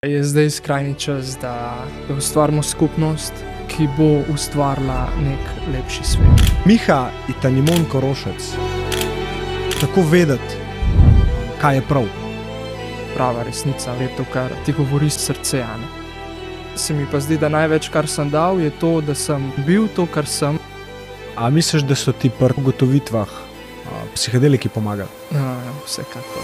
Je zdaj skrajni čas, da ustvarimo skupnost, ki bo ustvarila nek lepši svet. Miha Itanimon Korošec. Tako vedeti, kaj je prav. Prava resnica je to, kar ti govori srce. Se mi pa zdi, da največ, kar sem dal, je to, da sem bil to, kar sem. A misliš, da so ti pri ugotovitvah psihedeliki pomagali? Vsekakor.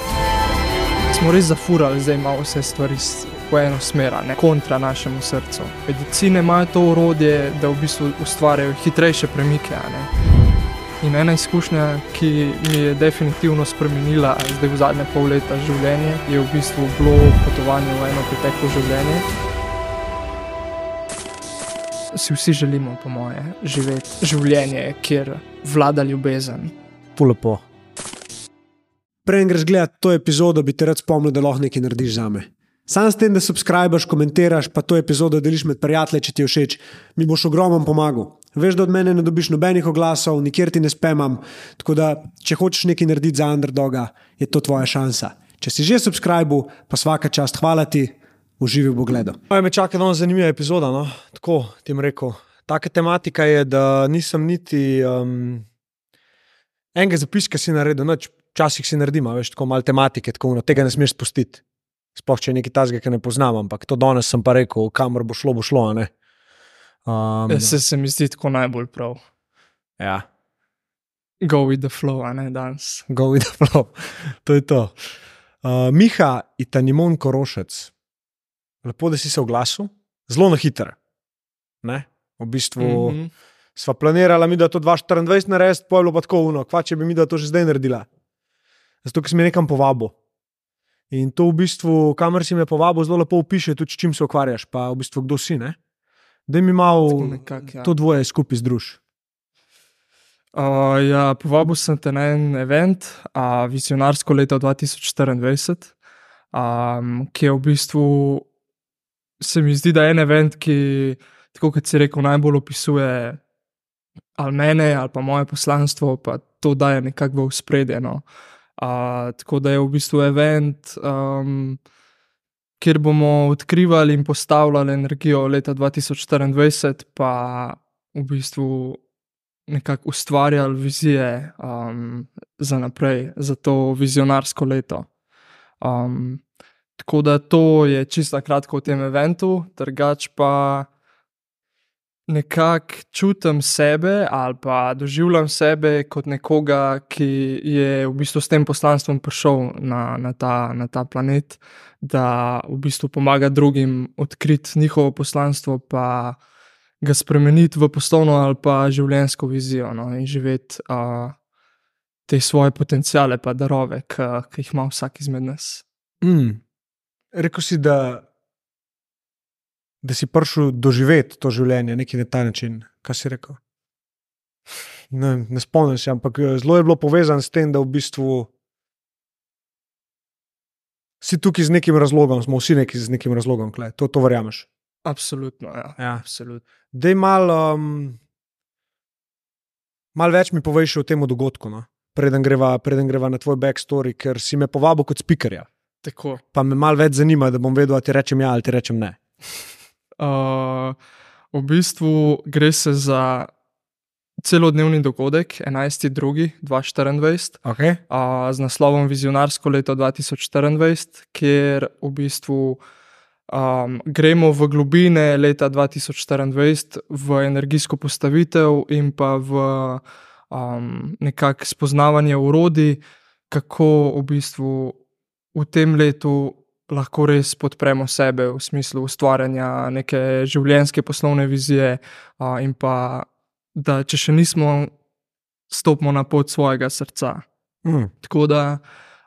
Smo res zafurali, zdaj imamo vse stvari po eno smer, kontra našemu srcu. Medicine imajo to orodje, da v bistvu ustvarjajo hitrejše premike. In ena izkušnja, ki mi je definitivno spremenila zdaj v zadnje pol leta življenje, je v bistvu bilo potovanje v eno preteklo življenje. Si vsi želimo, po moje, živeti življenje, kjer vlada ljubezen. Lepo. Preden greš gledati to epizodo, bi te rad spomnil, da lahko nekaj narediš zame. Sam s tem, da subscribeš, komentiraš, pa to epizodo deliš med prijatelje, če ti je všeč, mi boš ogromno pomagal. Veš, da od mene ne dobiš nobenih oglasov, nikjer ti ne spamam, tako da, če hočeš nekaj narediti za underdoga, je to tvoja šansa. Če si že subscribil, pa svaka čast, hvala ti, uživi v pogledu. Me čaka danes zanimiva epizoda, no? Tako ti bom rekel. Taka tematika je, da nisem niti enega zapiska si naredil, včasih si naredim, veš, tako malo tematike, tako tega ne smeš spustiti. Sploh, če je nekaj tazga, ki ne poznam, ampak to danes sem pa rekel, kamor bo šlo, ne? Se mi zdi tako najbolj prav. Ja. Go with the flow, danes. Go with the flow, to je to. Miha Itanimon Korošec. Lepo, da si se oglasil. Zelo na hitro. V bistvu sva planirala mi, da to 2024 narediti, pa je bilo pa tako kva, če bi mi da to že zdaj naredila. Zato, ker si me nekam povabil. In to v bistvu, kamer si me povabil, zelo lepo opiše tudi, s čim se ukvarjaš, pa v bistvu kdo si, Daj mi malo to dvoje skupaj združ. Povabil sem te na en event, vizionarsko leto 2024, ki je v bistvu, se mi zdi, da je en event, ki, tako kot si rekel, najbolj opisuje ali mene, ali pa moje poslanstvo, pa to daje nekako v ospredje, tako da je v bistvu event, kjer bomo odkrivali in postavljali energijo leta 2024, pa v bistvu nekako ustvarjali vizije za naprej, za to vizionarsko leto. Tako da to je čisto kratko v tem eventu, drugače pa nekako čutim sebe ali pa doživljam sebe kot nekoga, ki je v bistvu s tem poslanstvom prišel na ta planet, da v bistvu pomaga drugim odkriti njihovo poslanstvo, pa ga spremeniti v poslovno ali pa življenjsko vizijo, in živeti te svoje potenciale pa darove, ki jih ima vsak izmed nas. Rekel si, da si prišel doživeti to življenje, nekaj na ta način. Kaj si rekel? Ne spomnim se, ampak zelo je bilo povezano s tem, da v bistvu si tukaj z nekim razlogom, smo vsi z nekim razlogom, to verjameš? Absolutno, ja. Absolutno. Daj malo več mi poveš o tem dogodku, preden greva na tvoj backstory, ker si me povabil kot speakerja. Tako. Pa me malo več zanima, da bom vedel, ali ti rečem ja ali ti rečem ne. V bistvu gre se za celodnevni dogodek 11.2.2024, Okay. Z naslovom Vizionarsko leto 2024, kjer v bistvu gremo v globine leta 2024 v energijsko postavitev in pa v nekako spoznavanje orodij, kako v bistvu v tem letu lahko res podpremo sebe v smislu ustvarjanja neke življenjske poslovne vizije, in pa, da če še nismo, stopimo na pot svojega srca. Tako da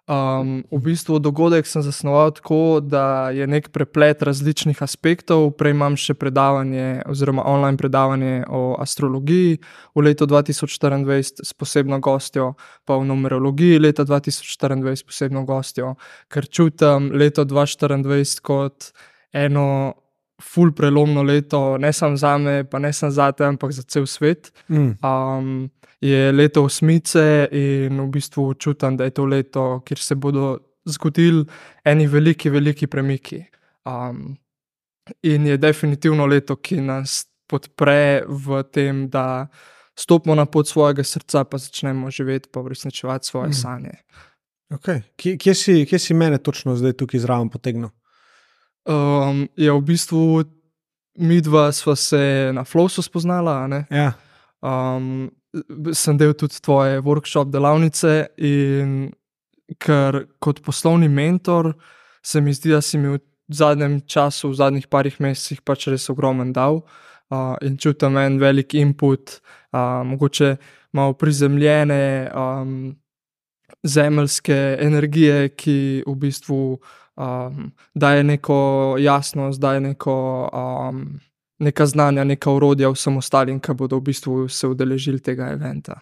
v bistvu dogodek sem zasnoval tako, da je nek preplet različnih aspektov. Prej imam še predavanje oziroma online predavanje o astrologiji v letu 2024 s posebno gostjo, pa v numerologiji leta 2024 s posebno gostjo, ker čutim leto 2024 kot eno ful prelomno leto, ne samo zame, pa ne samo zate, ampak za cel svet. Je leto osmice in v bistvu čutim, da je to leto, kjer se bodo zgodili eni veliki, veliki premiki. In je definitivno leto, ki nas podpre v tem, da stopimo na pot svojega srca, pa začnemo živeti, pa uresničevati svoje sanje. Okay. Kje si mene točno zdaj tukaj zraven potegnil? Ja, v bistvu midva sva se na Flowsu spoznala, ne? Ja. Sem del tudi tvoje workshop delavnice in ker kot poslovni mentor se mi zdi, da si mi v zadnjem času, v zadnjih parih mesecih pač res ogromen dal in čutim en velik input, mogoče malo prizemljene zemeljske energije, ki v bistvu daje neko jasnost, daje neka znanja, neka orodja vsem ostalim, ki bodo v bistvu se udeležili tega eventa.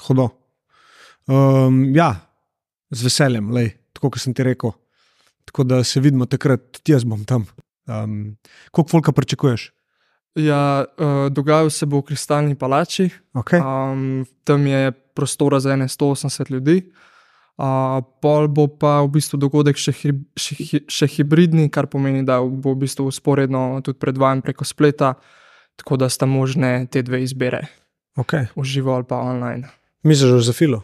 Hudo. Ja, z veseljem, tako kot sem ti rekel. Tako da se vidimo takrat, tudi jaz bom tam. Koliko folka pričakuješ? Ja, dogajal se bo v Kristalni palači. Okay. Tam je prostora za 180 ljudi. Pol bo pa v bistvu dogodek še hibridni, kar pomeni, da bo v bistvu vzporedno tudi predvajan preko spleta, tako da sta možne te dve izbire. Okay. V živo ali pa online. Misliš za filo?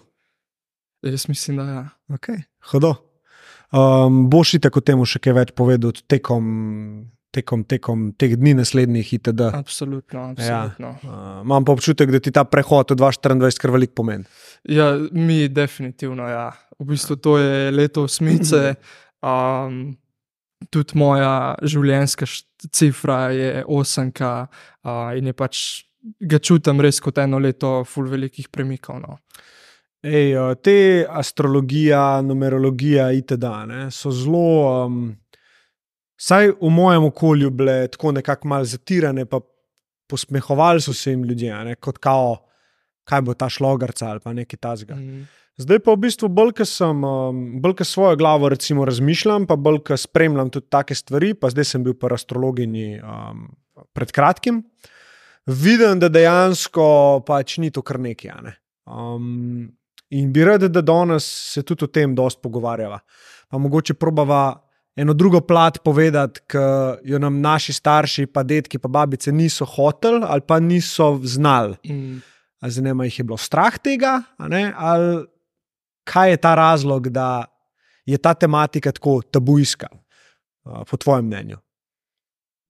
Jaz mislim, da ja. Okay. Hudo. Boš itak o temu še kaj več povedal tekom teh dni naslednjih itd. Absolutno. Ja. Imam pa občutek, da ti ta prehod v 2024 kar veliko pomeni. Ja, mi definitivno, ja. V bistvu to je leto osmice, tudi moja življenjska cifra je 8 in je pač, ga čutim res kot eno leto ful velikih premikov, no. Te astrologija, numerologija itd. So zelo, saj v mojem okolju bile tako nekako malo zatirane, pa posmehovali so se jim ljudje, kot kao, kaj bo ta šlogarca ali pa nekaj tazga. Zdaj pa v bistvu bolj, ko svojo glavo recimo razmišljam, pa bolj, ko spremljam tudi take stvari, pa zdaj sem bil pa astrologinji pred kratkim, vidim, da dejansko pač ni to kar nekaj, in bi rad, da danes se tudi o tem dosti pogovarjava. Pa mogoče probava eno drugo plat povedati, ki jo nam naši starši, pa dedki, pa babice niso hoteli ali pa niso znali. Zdaj nema jih je bilo strah tega, ali kaj je ta razlog, da je ta tematika tako tabujska, po tvojem mnenju?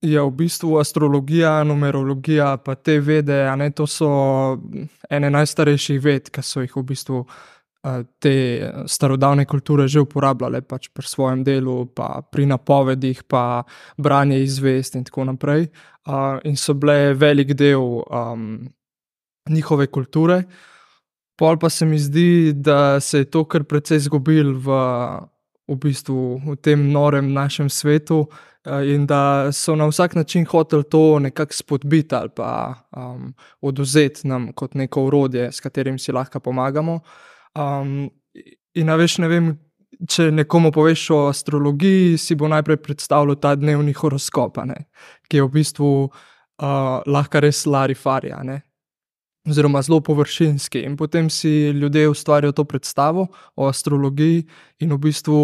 Ja, v bistvu astrologija, numerologija, pa te vede, to so ene najstarejših ved, ki so jih v bistvu te starodavne kulture že uporabljale pač pri svojem delu, pa pri napovedih, pa branje izvest in tako naprej. In so bile velik del njihove kulture. Pol pa se mi zdi, da se je to kar precej izgubilo v bistvu v tem norem našem svetu, in da so na vsak način hoteli to nekako spodbiti ali pa odvzeti nam kot neko orodje, s katerim si lahko pomagamo. In veš, ne vem, če nekomu poveš o astrologiji, si bo najprej predstavljal ta dnevni horoskop, ki je v bistvu lahko res larifari, oziroma zelo površinski. In potem si ljudje ustvarijo to predstavo o astrologiji in v bistvu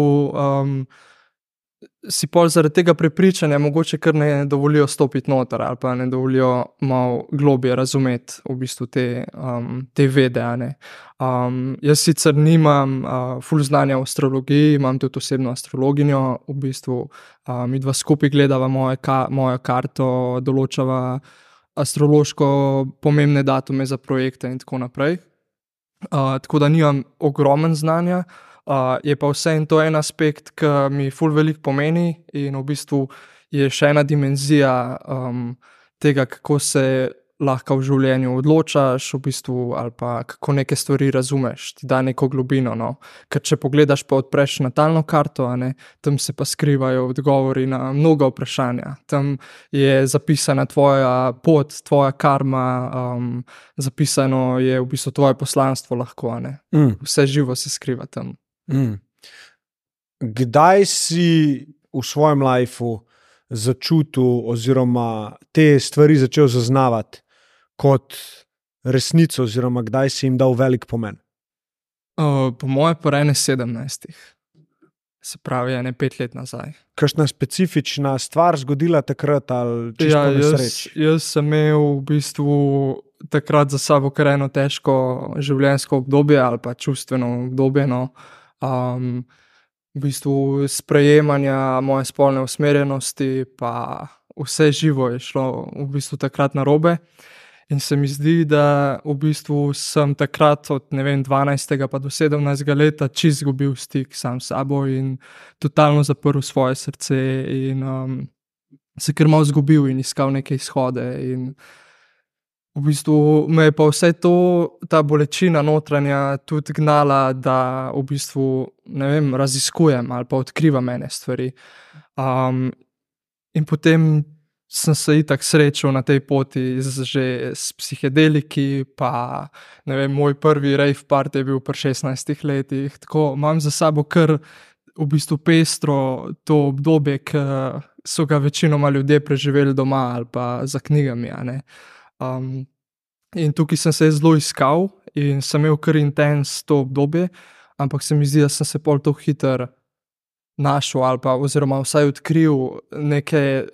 si pol zaradi tega prepričanja mogoče kar ne dovolijo stopiti noter ali pa ne dovolijo malo globje razumeti v bistvu te vede, Jaz sicer nimam ful znanja o astrologiji, imam tudi osebno astrologinjo, v bistvu midva skupaj gledava mojo karto, določava astrološko pomembne datume za projekte in tako naprej. Tako da nimam ogromen znanja, je pa vseeno to en aspekt, ki mi ful veliko pomeni in v bistvu je še ena dimenzija tega, kako se lahko v življenju odločaš v bistvu ali pa kako neke stvari razumeš, ti da neko globino, Ker če pogledaš pa odpreš natalno karto, tam se pa skrivajo odgovori na mnoga vprašanja. Tam je zapisana tvoja pot, tvoja karma, zapisano je v bistvu tvoje poslanstvo lahko, Vse živo se skriva tam. Kdaj si v svojem lifeu začutil oziroma te stvari začel zaznavati kot resnico oziroma kdaj si jim dal velik pomen? Po moje pa 17. se pravi, 5 let nazaj. Kakšna specifična stvar zgodila takrat ali čisto Ja, nesreč? jaz sem imel v bistvu takrat za sabo kar eno težko življenjsko obdobje ali pa čustveno obdobje. No. V bistvu sprejemanja moje spolne usmerjenosti, pa vse živo je šlo v bistvu takrat narobe. In se mi zdi, da v bistvu sem takrat od 12. pa do 17. leta čisto izgubil stik sam s sabo in totalno zaprl svoje srce in se kar malo izgubil in iskal neke izhode. In v bistvu me je pa vse to, ta bolečina notranja tudi gnala, da v bistvu, raziskujem ali pa odkrivam ene stvari. In potem sem se itak srečal na tej poti že s psihedeliki, pa moj prvi rave party je bil pri 16 letih, tako imam za sabo kar v bistvu pestro to obdobje, ki so ga večinoma ljudje preživeli doma ali pa za knjigami, a ne. In tukaj sem se zelo iskal in sem imel kar intens to obdobje, ampak se mi zdi, da sem se pol to hitro našel ali pa oziroma vsaj odkril neke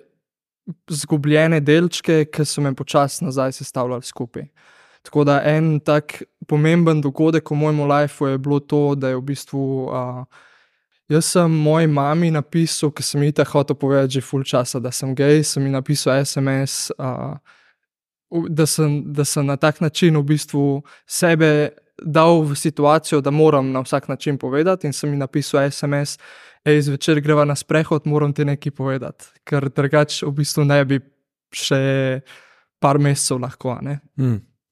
zgubljene delčke, ki so me počasi nazaj sestavljali skupaj. Tako da en tak pomemben dogodek v mojem lifeu je bilo to, da je v bistvu jaz sem moji mami napisal, ker sem ji itak hotel povedati že ful časa, da sem gej, sem ji napisal SMS, da sem na tak način v bistvu sebe dal v situacijo, da moram na vsak način povedati, in sem ji napisal SMS: zvečer greva na sprehod, moram ti nekaj povedati, ker drugače v bistvu ne bi še par mesecev lahko, ne.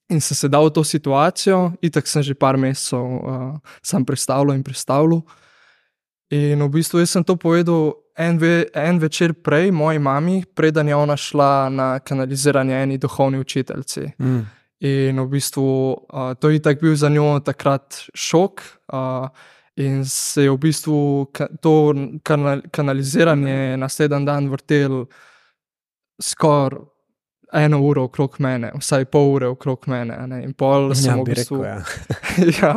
In sem se dal v to situacijo, itak sem že par mesecev sam prestavljal. In v bistvu jaz sem to povedal en večer prej moji mami, preden je ona šla na kanaliziranje eni duhovni učiteljici. In v bistvu to je itak bil za njo takrat šok, in se je v bistvu to kanaliziranje naslednji dan vrtelo skoraj 1 uro okrog mene, vsaj pol ure okrog mene, a ne. In pol sem v bistvu ja,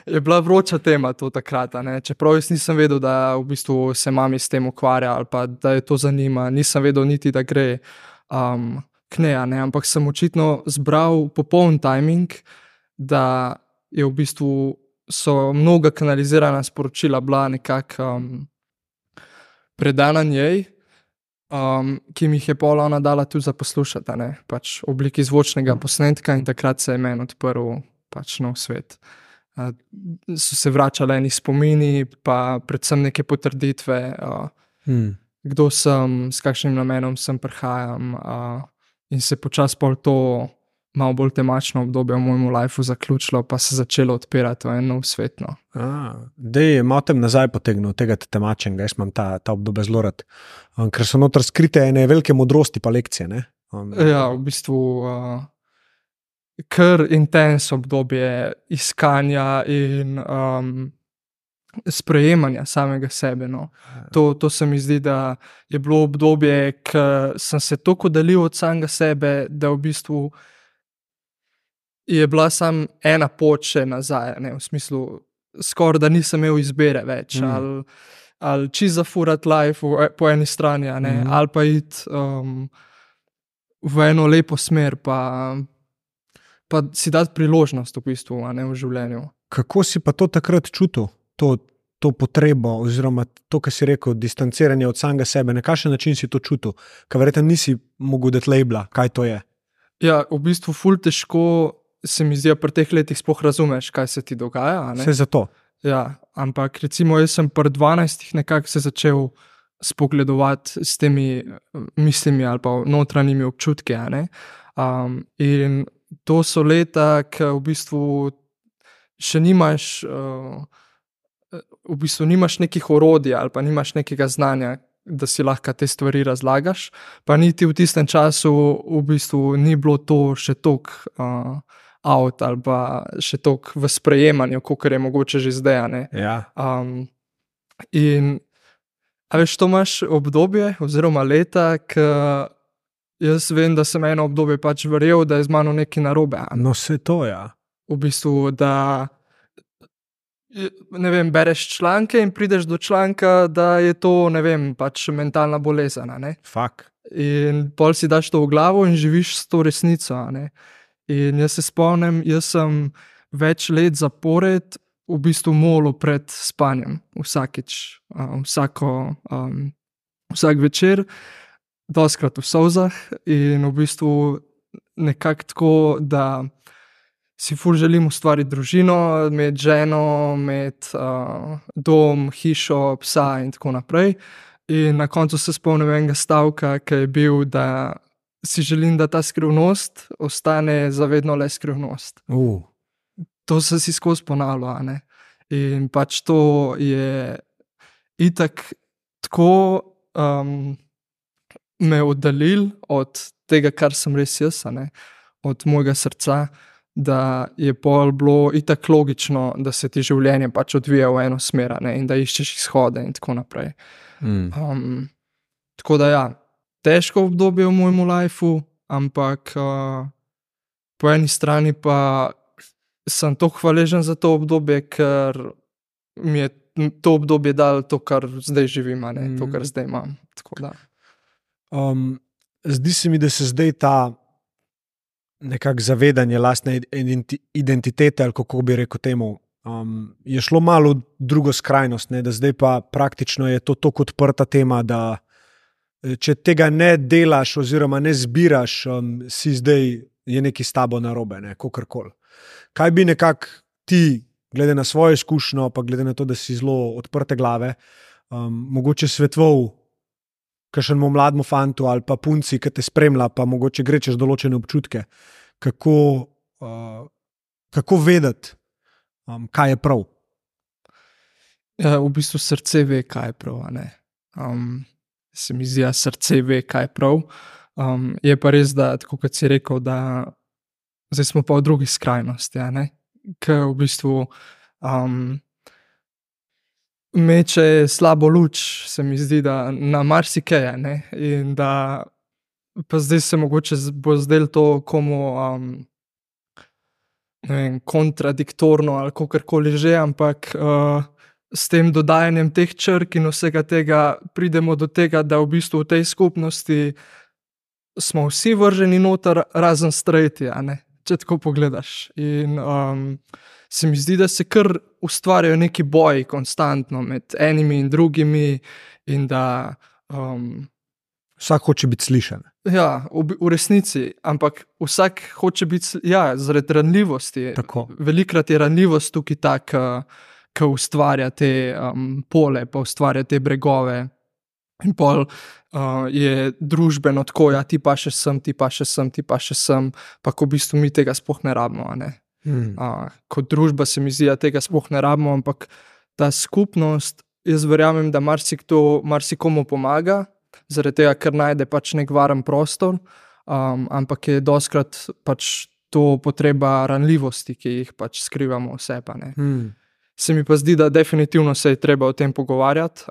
je bila vroča tema to takrat, a ne. Čeprav jaz nisem vedel, da v bistvu se mami s tem ukvarja ali pa da jo to zanima, nisem vedel niti, da gre k njej, a ne. Ampak sem očitno zbral popoln timing, da je v bistvu so mnoga kanalizirana sporočila bila nekako predana njej, ki mi jih je pol ona dala tudi za poslušati, a ne, pač v obliki zvočnega posnetka, in takrat se je meni odprl pač nov svet. So se vračali eni spomini, pa predvsem neke potrditve, kdo sem, s kakšnim namenom sem prihajam, in se počasi pol to malo bolj temačno obdobje v mojem lifeu zaključilo, pa se začelo odpirati v en nov svet, no. Dej, malo tem nazaj potegnil tega temačenega, jaz imam ta obdobje zelo rad, ker so noter skrite ene velike modrosti pa lekcije, ne? Ja, v bistvu kar intens obdobje iskanja in sprejemanja samega sebe, no. To se mi zdi, da je bilo obdobje, ko sem se toliko oddalil od samega sebe, da v bistvu je bila samo ena pot še nazaj, ne, v smislu, skoraj da nisem imel izbire več, ali čisto zafurati life po eni strani, a ne, ali pa iti v eno lepo smer, pa si dati priložnost v bistvu, a ne, v življenju. Kako si pa to takrat čutil, to potrebo, oziroma to, kar si rekel, distanciranje od samega sebe, na kakšen način si to čutil? Ker verjetno nisi mogel dati labela, kaj to je. Ja, v bistvu ful težko se mi zdi, pri teh letih sploh razumeš, kaj se ti dogaja, a ne. Vse zato. Ja, ampak recimo jaz sem pri 12 nekako se začel spogledovati s temi mislimi ali pa notranjimi občutki, a ne. In to so leta, ki v bistvu še nimaš, nimaš nekih orodij ali pa nimaš nekega znanja, da si lahko te stvari razlagaš, pa niti v tistem času v bistvu ni bilo to še toliko out ali pa še toliko v sprejemanju, kakor je mogoče že zdaj, a ne. Ja. In a veš, to imaš obdobje oziroma leta, ki jaz vem, da sem eno obdobje pač verjel, da je z mano nekaj narobe. No, se to, ja. V bistvu, da ne vem, bereš članke in prideš do članka, da je to, ne vem, pač mentalna bolezen, a ne. Fak. In pol si daš to v glavo in živiš s to resnico, a ne. In jaz se spomnim, jaz sem več let zapored v bistvu molil pred spanjem, vsakič, vsak večer, dostikrat v solzah in v bistvu nekako tako, da si ful želim ustvariti družino, imeti ženo, imeti dom, hišo, psa in tako naprej. In na koncu se spomnim enega stavka, ki je bil, da si želim, da ta skrivnost ostane za vedno le skrivnost. To sem si skozi ponavljal, a ne. In pač to je itak tako me oddaljil od tega, kar sem res jaz, a ne, od mojega srca, da je pol bilo itak logično, da se ti življenje pač odvija v eno smer, a ne, in da iščeš izhode in tako naprej. Tako da ja, težko obdobje v mojem lifeu, ampak po eni strani pa sem toliko hvaležen za to obdobje, ker mi je to obdobje dalo to, kar zdaj živim, a ne, to, kar zdaj imam. Tako da. Zdi se mi, da se zdaj ta nekako zavedanje lastne identitete, ali kako bi rekel temu, je šlo malo v drugo skrajnost, ne, da zdaj pa praktično je to tako odprta tema, da če tega ne delaš oziroma ne zbiraš, si zdaj je nekaj s tabo narobe, ne, kakorkoli. Kaj bi nekako ti, glede na svojo izkušnjo, pa glede na to, da si zelo odprte glave, mogoče svetoval kakšnemu mlademu fantu ali pa punci, ki te spremlja, pa mogoče gre čez določene občutke, kako vedeti, kaj je prav? Ja, v bistvu srce ve, kaj je prav, a ne. Se mi zdi, srce ve, kaj je prav. Je pa res, da, tako kot si rekel, da zdaj smo pa v drugi skrajnosti, a ne, ke v bistvu meče slabo luč, se mi zdi, da na marsikaj, a ne, in da pa zdaj se mogoče bo zdelo to komu, ne vem, kontradiktorno ali kakorkoli že, ampak s tem dodajanjem teh črk in vsega tega pridemo do tega, da v bistvu v tej skupnosti smo vsi vrženi noter, razen straighti, a ne, če tako pogledaš. In se mi zdi, da se kar ustvarjajo neki boji konstantno med enimi in drugimi in da Vsak hoče biti slišan. ja, v resnici, ampak vsak hoče biti, ja, zaradi ranljivosti. Tako. Velikokrat je ranljivost tukaj ta, ki ustvarja te pole, pa ustvarja te bregove. In pol je družbeno tako, ja, ti pa še sem, ti pa še sem, ti pa še sem, pa ko v bistvu mi tega sploh ne rabimo, a ne. Kot družba se mi zdi, da tega sploh ne rabimo, ampak ta skupnost, jaz verjamem, da marsikomu pomaga, zaradi tega, ker najde pač nek varen prostor, ampak je dostikrat pač to potreba ranljivosti, ki jih pač skrivamo vse, pa ne. Se mi pa zdi, da definitivno se je treba o tem pogovarjati.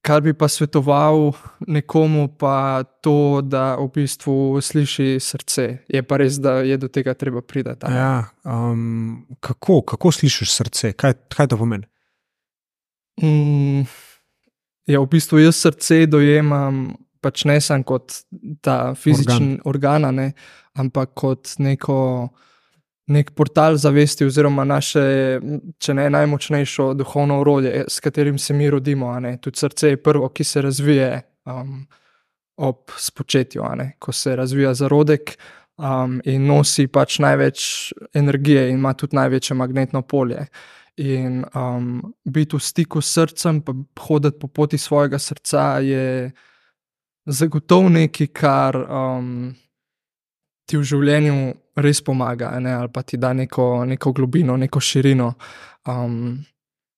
Kar bi pa svetoval nekomu, pa to, da v bistvu sliši srce. Je pa res, da je do tega treba priti. Ja, kako slišiš srce? Kaj to pomeni? Ja, v bistvu jaz srce dojemam pač ne samo kot ta fizični organ, a ne, ampak kot nek portal zavesti oziroma naše, če ne najmočnejše duhovno orodje, s katerim se mi rodimo, a ne. Tudi srce je prvo, ki se razvije ob spočetju, a ne, ko se razvija zarodek in nosi pač največ energije in ima tudi največje magnetno polje. In biti v stiku s srcem, pa hoditi po poti svojega srca je zagotovo nekaj, kar ti v življenju res pomaga, ne, ali pa ti da neko globino, neko širino.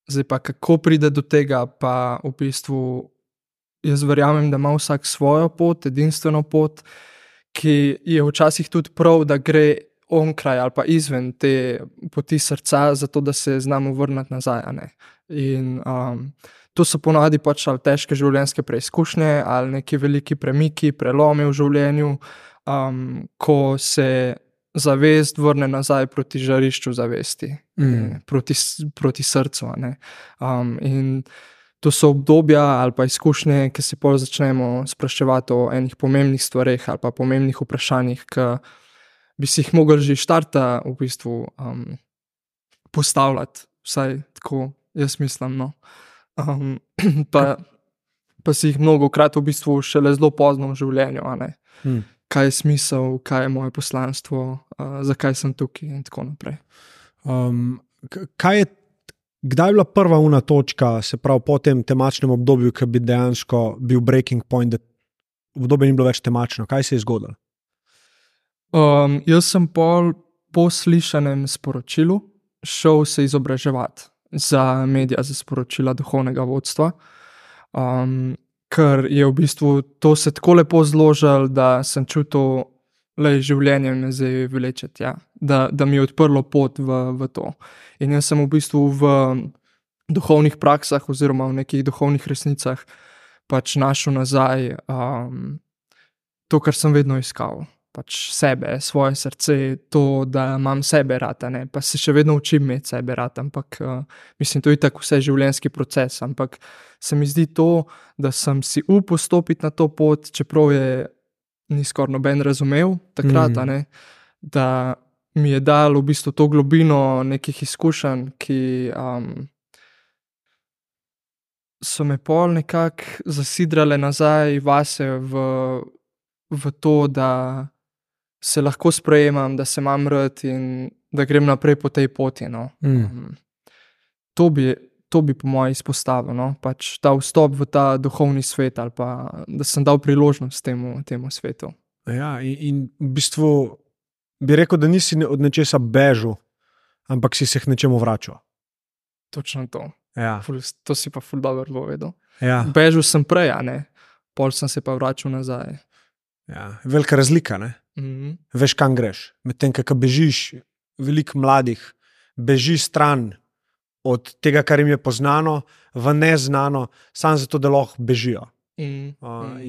Zdaj pa kako pride do tega, pa v bistvu jaz verjamem, da ima vsak svojo pot, edinstveno pot, ki je včasih tudi prav, da gre onkraj ali pa izven te poti srca, zato da se znamo vrniti nazaj, a ne. In to so ponavadi pač ali težke življenjske preizkušnje ali neki veliki premiki, prelomi v življenju, ko se zavest vrne nazaj proti žarišču zavesti, proti srcu. A ne. In to so obdobja ali pa izkušnje, ki se pol začnemo spraševati o enih pomembnih stvareh ali pa pomembnih vprašanjih, ki bi si jih mogli že štarta v bistvu postavljati, vsaj tako jaz mislim. No. Pa si jih mnogokrat v bistvu šele zelo pozno v življenju. A ne. Kaj je smisel, kaj je moje poslanstvo, zakaj sem tukaj in tako naprej. Kdaj je bila prva točka, se pravi po tem temačnem obdobju, ki bi dejansko bil breaking point, da obdobje ni bilo več temačno? Kaj se je zgodilo? Jaz sem po slišanem sporočilu šel se izobraževati za medija, za sporočila duhovnega vodstva, ker je v bistvu to se tako lepo zložilo, da sem čutil, da življenje me zdaj vleče tja, da mi je odprlo pot v to. In jaz sem v bistvu v duhovnih praksah oziroma v nekih duhovnih resnicah pač našel nazaj to, kar sem vedno iskal. Pač sebe, svoje srce, to, da imam sebe rad, ne, pa se še vedno učim imeti sebe rad, ampak mislim, to je tako vse življenjski proces, ampak se mi zdi to, da sem si upal stopiti na to pot, čeprav je ni skoraj noben razumel takrat, ne, da mi je dal v bistvu to globino nekih izkušenj, ki so me pol nekako zasidrale nazaj vase v to, da se lahko sprejemam, da se imam rad in da grem naprej po tej poti. No. To bi po mojem izpostavil, no. Pač ta vstop v ta duhovni svet ali pa, da sem dal priložnost temu svetu. Ja, in v bistvu bi rekel, da nisi od nečesa bežal, ampak si se k nečemu vračal. Točno to. Ja. To si pa ful dobro povedal. Ja. Bežal sem prej, a ne. Pol sem se pa vračal nazaj. Ja. Velika razlika, ne? Veš, kam greš. Medtem, ko bežiš, veliko mladih beži stran od tega, kar jim je poznano, v neznano, samo zato, da lahko bežijo. In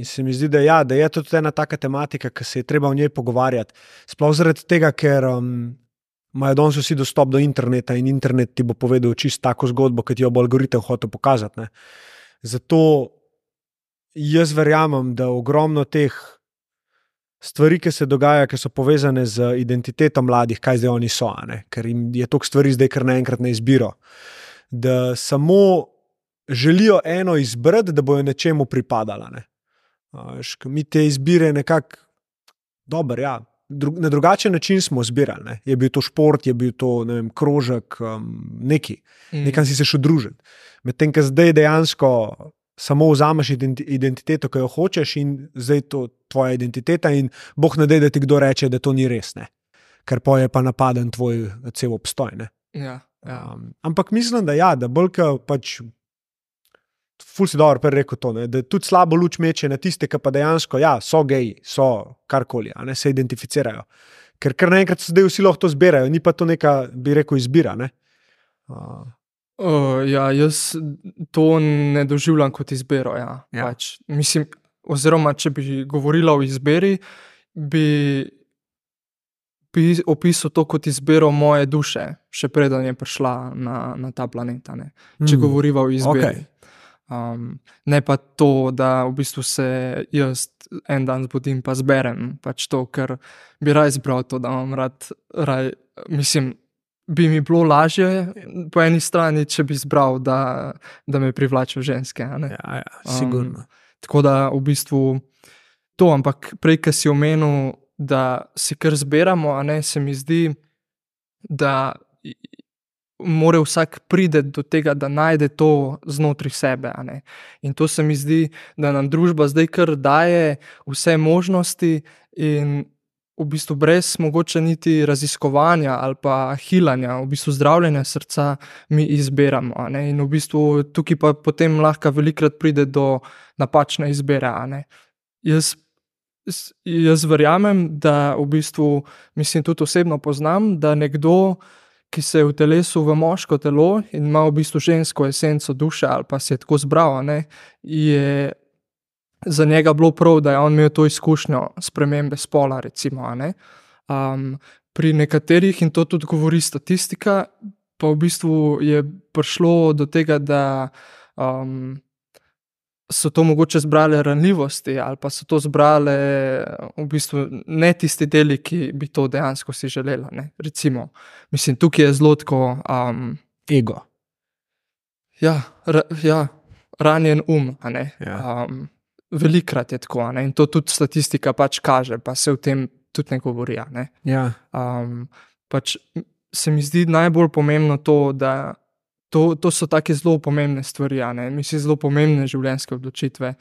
se mi zdi, da je to tudi ena taka tematika, ki se je treba o njej pogovarjati. Sploh zaradi tega, ker imajo danes vsi dostop do interneta in internet ti bo povedal čisto tako zgodbo, ki ti jo bo algoritem hotel pokazati. Ne. Zato jaz verjamem, da ogromno teh stvari, ki se dogaja, ki so povezane z identiteto mladih, kaj zdaj oni so, ne? Ker jim je toliko stvari zdaj kar naenkrat na izbiro, da samo želijo eno izbrati, da bojo nečemu pripadala. Ne? Mi te izbire nekako dober, ja. Na drugačen način smo zbirali. Ne? Je bil to šport, je bil to, ne vem, krožek, neki. Nekam si se šel družiti. Medtem, ko zdaj dejansko samo vzameš identiteto, ki jo hočeš in zdaj to tvoja identiteta in Bog ne dej, da ti kdo reče, da to ni res, ne. Ker pa je pa napaden tvoj cel obstoj, ne. Ja. Ampak mislim, da bolj, ko pač ful si dobro rekel to, ne, da tudi slabo luč meče na tiste, ki pa dejansko, so geji, so karkoli, ne, se identificirajo. Ker kar naenkrat se zdaj vsi lahko to zbirajo, ni pa to neka, bi rekel, izbira, ne. Jaz to ne doživljam kot izbiro, Pač, mislim, oziroma, če bi govorila o izbiri, bi opisal to kot izbiro moje duše, še preden je prišla na ta planet, ne. Če govoriva o izbiri. Ne pa to, da v bistvu se jaz en dan zbudim pa zberem, pač to, ker bi raj zbral to, da imam raj, mislim, bi mi bilo lažje po eni strani, če bi zbral, da me privlačijo ženske. Ja, sigurno. Tako da v bistvu to, ampak prej, ko si omenil, da si kar zberamo, se mi zdi, da mora vsak priti do tega, da najde to znotraj sebe. In to se mi zdi, da nam družba zdaj kar daje vse možnosti in v bistvu brez mogoče niti raziskovanja ali pa hilanja, v bistvu zdravljenja srca mi izberamo. In v bistvu tukaj pa potem lahko velikrat pride do napačne izbire. Jaz verjamem, da v bistvu, mislim, tudi osebno poznam, da nekdo, ki se je utelesil v moško telo in ima v bistvu žensko esenco duše ali pa se je tako zbral, je za njega bilo prav, da je on imel to izkušnjo spremembe spola, recimo. pri nekaterih, in to tudi govori statistika, pa v bistvu je prišlo do tega, da so to mogoče zbrale ranljivosti ali pa so to zbrale v bistvu ne tisti deli, ki bi to dejansko si želela, ne. Recimo, mislim, tukaj je zelo tako, Ego. ja, ranjen a ne. Ja. Velikokrat je tako, a ne, in to tudi statistika pač kaže, pa se o tem tudi ne govori, a ne. Ja. Pač se mi zdi najbolj pomembno to, da to so take zelo pomembne stvari, a ne, mislim, zelo pomembne življenjske odločitve.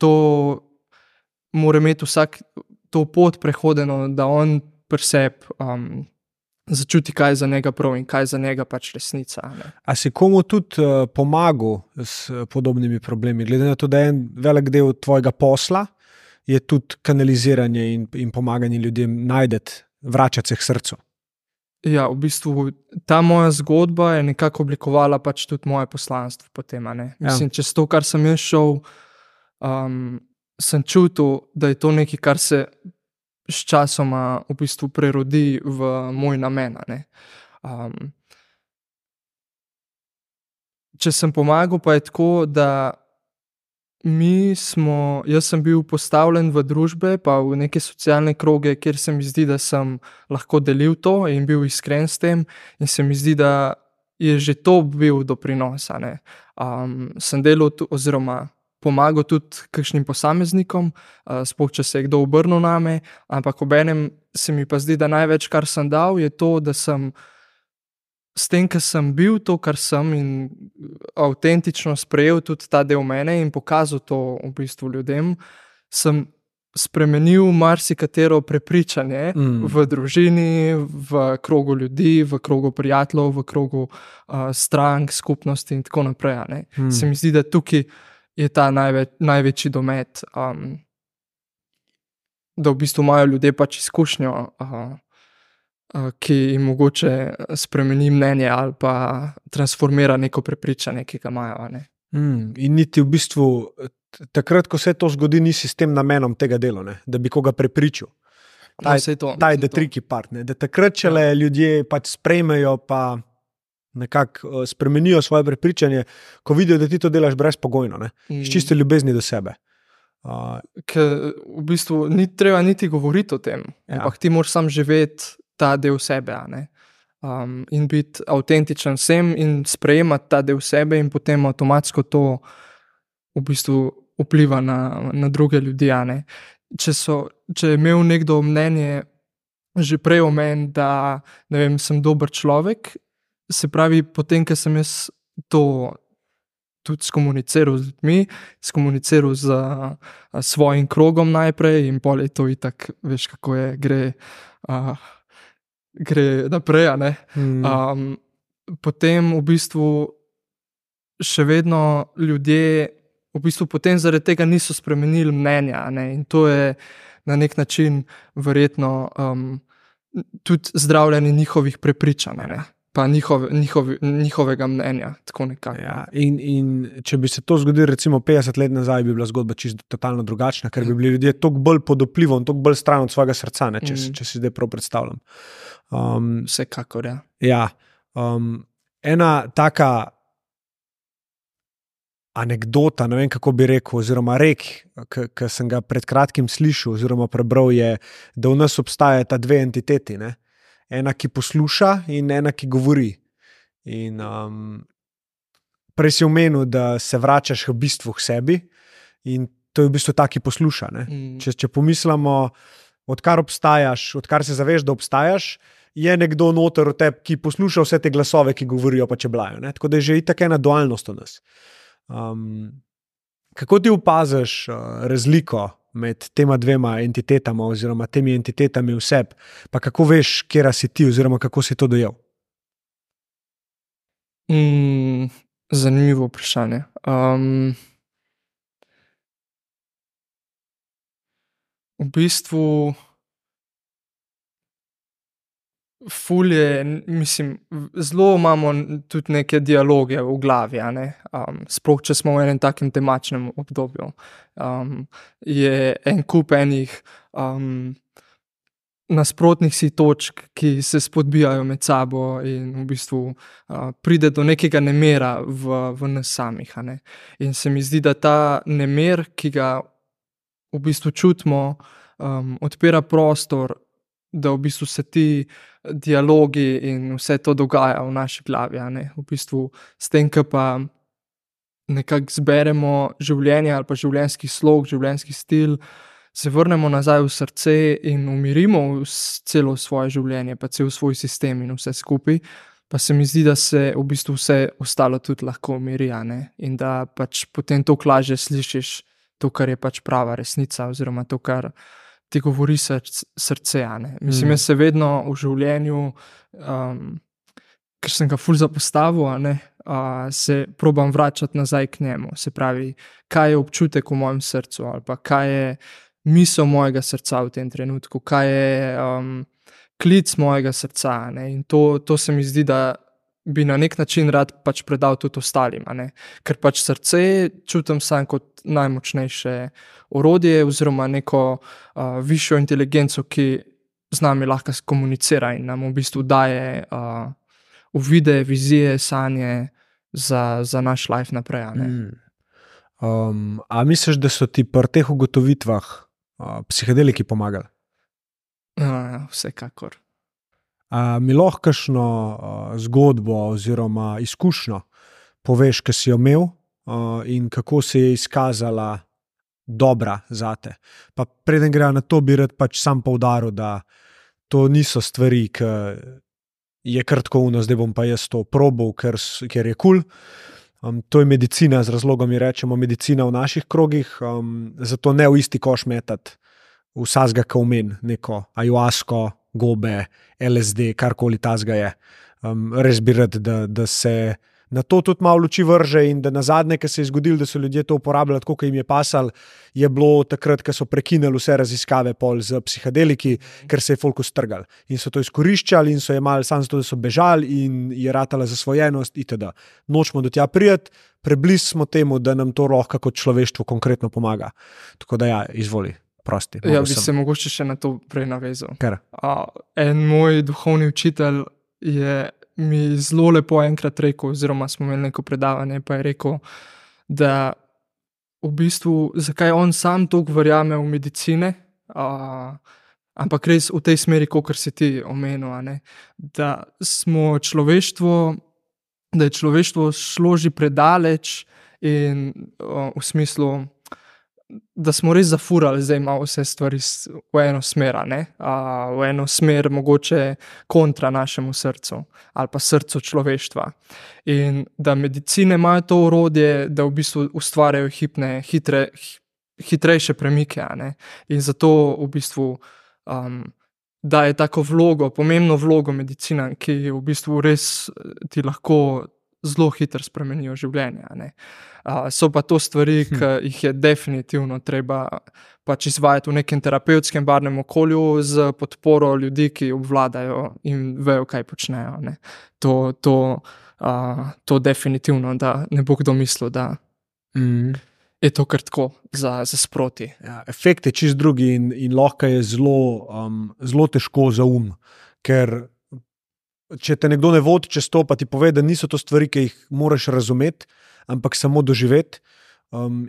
To mora imeti vsak to pot prehodeno, da on pri sebi začuti, kaj je za njega prav in kaj je za njega pač resnica, a ne. A si komu tudi pomagal s podobnimi problemi, glede na to, da je en velik del tvojega posla, je tudi kanaliziranje in pomaganje ljudem najdeti, vračati se k srcu? Ja, v bistvu ta moja zgodba je nekako oblikovala pač tudi moje poslanstvo potem, a ne. Mislim, čez to, kar sem jaz šel, sem čutil, da je to nekaj, kar se s časoma v bistvu prerodi v moj namen, a ne. Če sem pomagal, pa je tako, da jaz sem bil postavljen v družbe pa v neke socialne kroge, kjer se mi zdi, da sem lahko delil to in bil iskren s tem, in se mi zdi, da je že to bil doprinos, a ne. Sem delal oziroma pomagal tudi kakšnim posameznikom, sploh če se je kdo obrnil name, ampak obenem se mi pa zdi, da največ, kar sem dal, je to, da sem s tem, ker sem bil to, kar sem, in avtentično sprejel tudi ta del mene in pokazal to v bistvu ljudem, sem spremenil marsikatero prepričanje v družini, v krogu ljudi, v krogu prijateljev, v krogu strank, skupnosti in tako naprej, a ne. Se mi zdi, da tukaj je ta največji domet, da v bistvu imajo ljudje pač izkušnjo, ki jim mogoče spremeni mnenje ali pa transformira neko prepričanje, ki ga imajo, a ne. In niti v bistvu takrat, ko se to zgodi, nisi s tem namenom tega dela, ne? Da bi koga prepričal. Ta je the tricky part, ne? Da takrat, čele ljudje pač sprejmejo pa nekako spremenijo svoje prepričanje, ko vidijo, da ti to delaš brezpogojno, ne? S čisto ljubezni do sebe. Ker v bistvu ni treba niti govoriti o tem, ampak ti moraš sam živeti ta del sebe, a ne. In biti avtentičen vsem in sprejemati ta del sebe in potem avtomatsko to v bistvu vpliva na druge ljudi, a ne. Če je imel nekdo mnenje že prej o meni, da, ne vem, sem dober človek, se pravi, potem, ko sem jaz to tudi skomuniciral z ljudmi, skomuniciral z svojim krogom najprej in pol je to itak, veš, kako je, gre naprej, a ne. Potem v bistvu še vedno ljudje v bistvu potem zaradi tega niso spremenili mnenja, a ne, in to je na nek način verjetno tudi zdravljenje njihovih prepričanj, a ne, pa njihovega mnenja, tako nekako. Ja, in če bi se to zgodilo recimo 50 let nazaj, bi bila zgodba čisto totalno drugačna, ker bi bili ljudje toliko bolj pod vplivom, toliko bolj stran od svojega srca, ne, če si zdaj prav predstavljam. Vsekakor, ja. Ja, ena taka anekdota, ne vem, kako bi rekel, oziroma ki sem ga pred kratkim slišal oziroma prebral, je, da v nas obstajata dve entiteti, ne? Ena, ki posluša, in ena, ki govori. In prej si omenil, da se vračaš v bistvu k sebi, in to je v bistvu ta, ki posluša, ne? Če pomislimo, odkar obstajaš, odkar se zaveš, da obstajaš, je nekdo noter v tebi, ki posluša vse te glasove, ki govorijo pa čeblajo, ne? Tako da je že itak ena dualnost v nas. Kako ti opaziš razliko med tema dvema entitetama oziroma temi entitetami v sebi, pa kako veš, kjera si ti oziroma kako si to dojel? Zanimivo vprašanje. V bistvu ful je, mislim, zelo imamo tudi neke dialoge v glavi, a ne, sploh če smo v enem takem temačnem obdobju. Je en kup enih nasprotnih si točk, ki se spodbijajo med sabo in v bistvu pride do nekega nemira v nas samih. A ne. In se mi zdi, da ta nemir, ki ga v bistvu čutimo, odpira prostor, da v bistvu se ti dialogi in vse to dogaja v naši glavi. A ne. V bistvu s tem, ko pa nekako zberemo življenje ali pa življenjski slog, življenjski stil, se vrnemo nazaj v srce in umirimo celo svoje življenje, pa cel svoj sistem in vse skupaj, pa se mi zdi, da se v bistvu vse ostalo tudi lahko umiri, a ne. In da pač potem toliko lažje slišiš to, kar je pač prava resnica, oziroma to, kar ti govori srce, a ne. Mislim, jaz se vedno v življenju, ker sem ga ful zapostavil, a ne, se probam vračati nazaj k njemu. Se pravi, kaj je občutek v mojem srcu, ali pa kaj je misel mojega srca v tem trenutku, kaj je klic mojega srca, a ne. In to se mi zdi, da bi na nek način rad pač predal tudi ostalim, a ne. Ker pač srce čutim sam kot najmočnejše orodje oziroma neko višjo inteligenco, ki z nami lahko komunicira in nam v bistvu daje uvide, vizije, sanje za naš life naprej, a ne. A misliš, da so ti pri teh ugotovitvah psihedeliki pomagali? Vsekakor. Mi lahko kakšno zgodbo oziroma izkušnjo poveš, ki si jo imel in kako se je izkazala dobra zate? Pa preden gre na to, bi rad pač sam poudaril, da to niso stvari, ki je kar tako uno, zdaj bom pa jaz to probal, ker je kul. To je medicina, z razlogom mi rečemo medicina v naših krogih, zato ne v isti koš metati vsazga, ki omen, neko ajuasko, gobe, LSD, karkoli tazga je. Res bi rad, da se na to tudi malo luči vrže in da nazadnje, ko se je zgodilo, da so ljudje to uporabljali tako, kot jim je pasalo, je bilo takrat, ko so prekinili vse raziskave pol z psihedeliki, ker se je folk ustrgal. In so to izkoriščali in so jemali samo zato, da so bežali in je ratala zasvojenost itd. Nočemo do tja prijeti, preblizu smo temu, da nam to lahko kot človeštvo konkretno pomaga. Tako da ja, izvoli. Prosti, ja, bi se mogoče še na to prej navezal. Ker? En moj duhovni učitelj je mi zelo lepo enkrat rekel, oziroma smo imeli neko predavanje, pa je rekel, da v bistvu, zakaj on sam toliko verjame v medicine, ampak res v tej smeri, kakor si ti omenil, a ne, da smo človeštvo, da je človeštvo šlo že predaleč in v smislu, da smo res zafurali zdaj malo vse stvari v eno smer, ne? V eno smer mogoče kontra našemu srcu ali pa srcu človeštva. In da medicine imajo to orodje, da v bistvu ustvarjajo hitrejše premike, a ne? In zato v bistvu daje tako vlogo, pomembno vlogo medicina, ki v bistvu res ti lahko zelo hitro spremenijo življenje, a ne. So pa to stvari, ki jih je definitivno treba pač izvajati v nekem terapevtskem barvnem okolju z podporo ljudi, ki obvladajo in vejo, kaj počnejo, ne. To definitivno, da ne bo kdo mislil, da je to kar tako za sproti. Ja, efekt je čist drugi in lahko je zelo težko za ker če te nekdo ne vodi čez to, pa ti pove, da niso to stvari, ki jih moraš razumeti, ampak samo doživeti,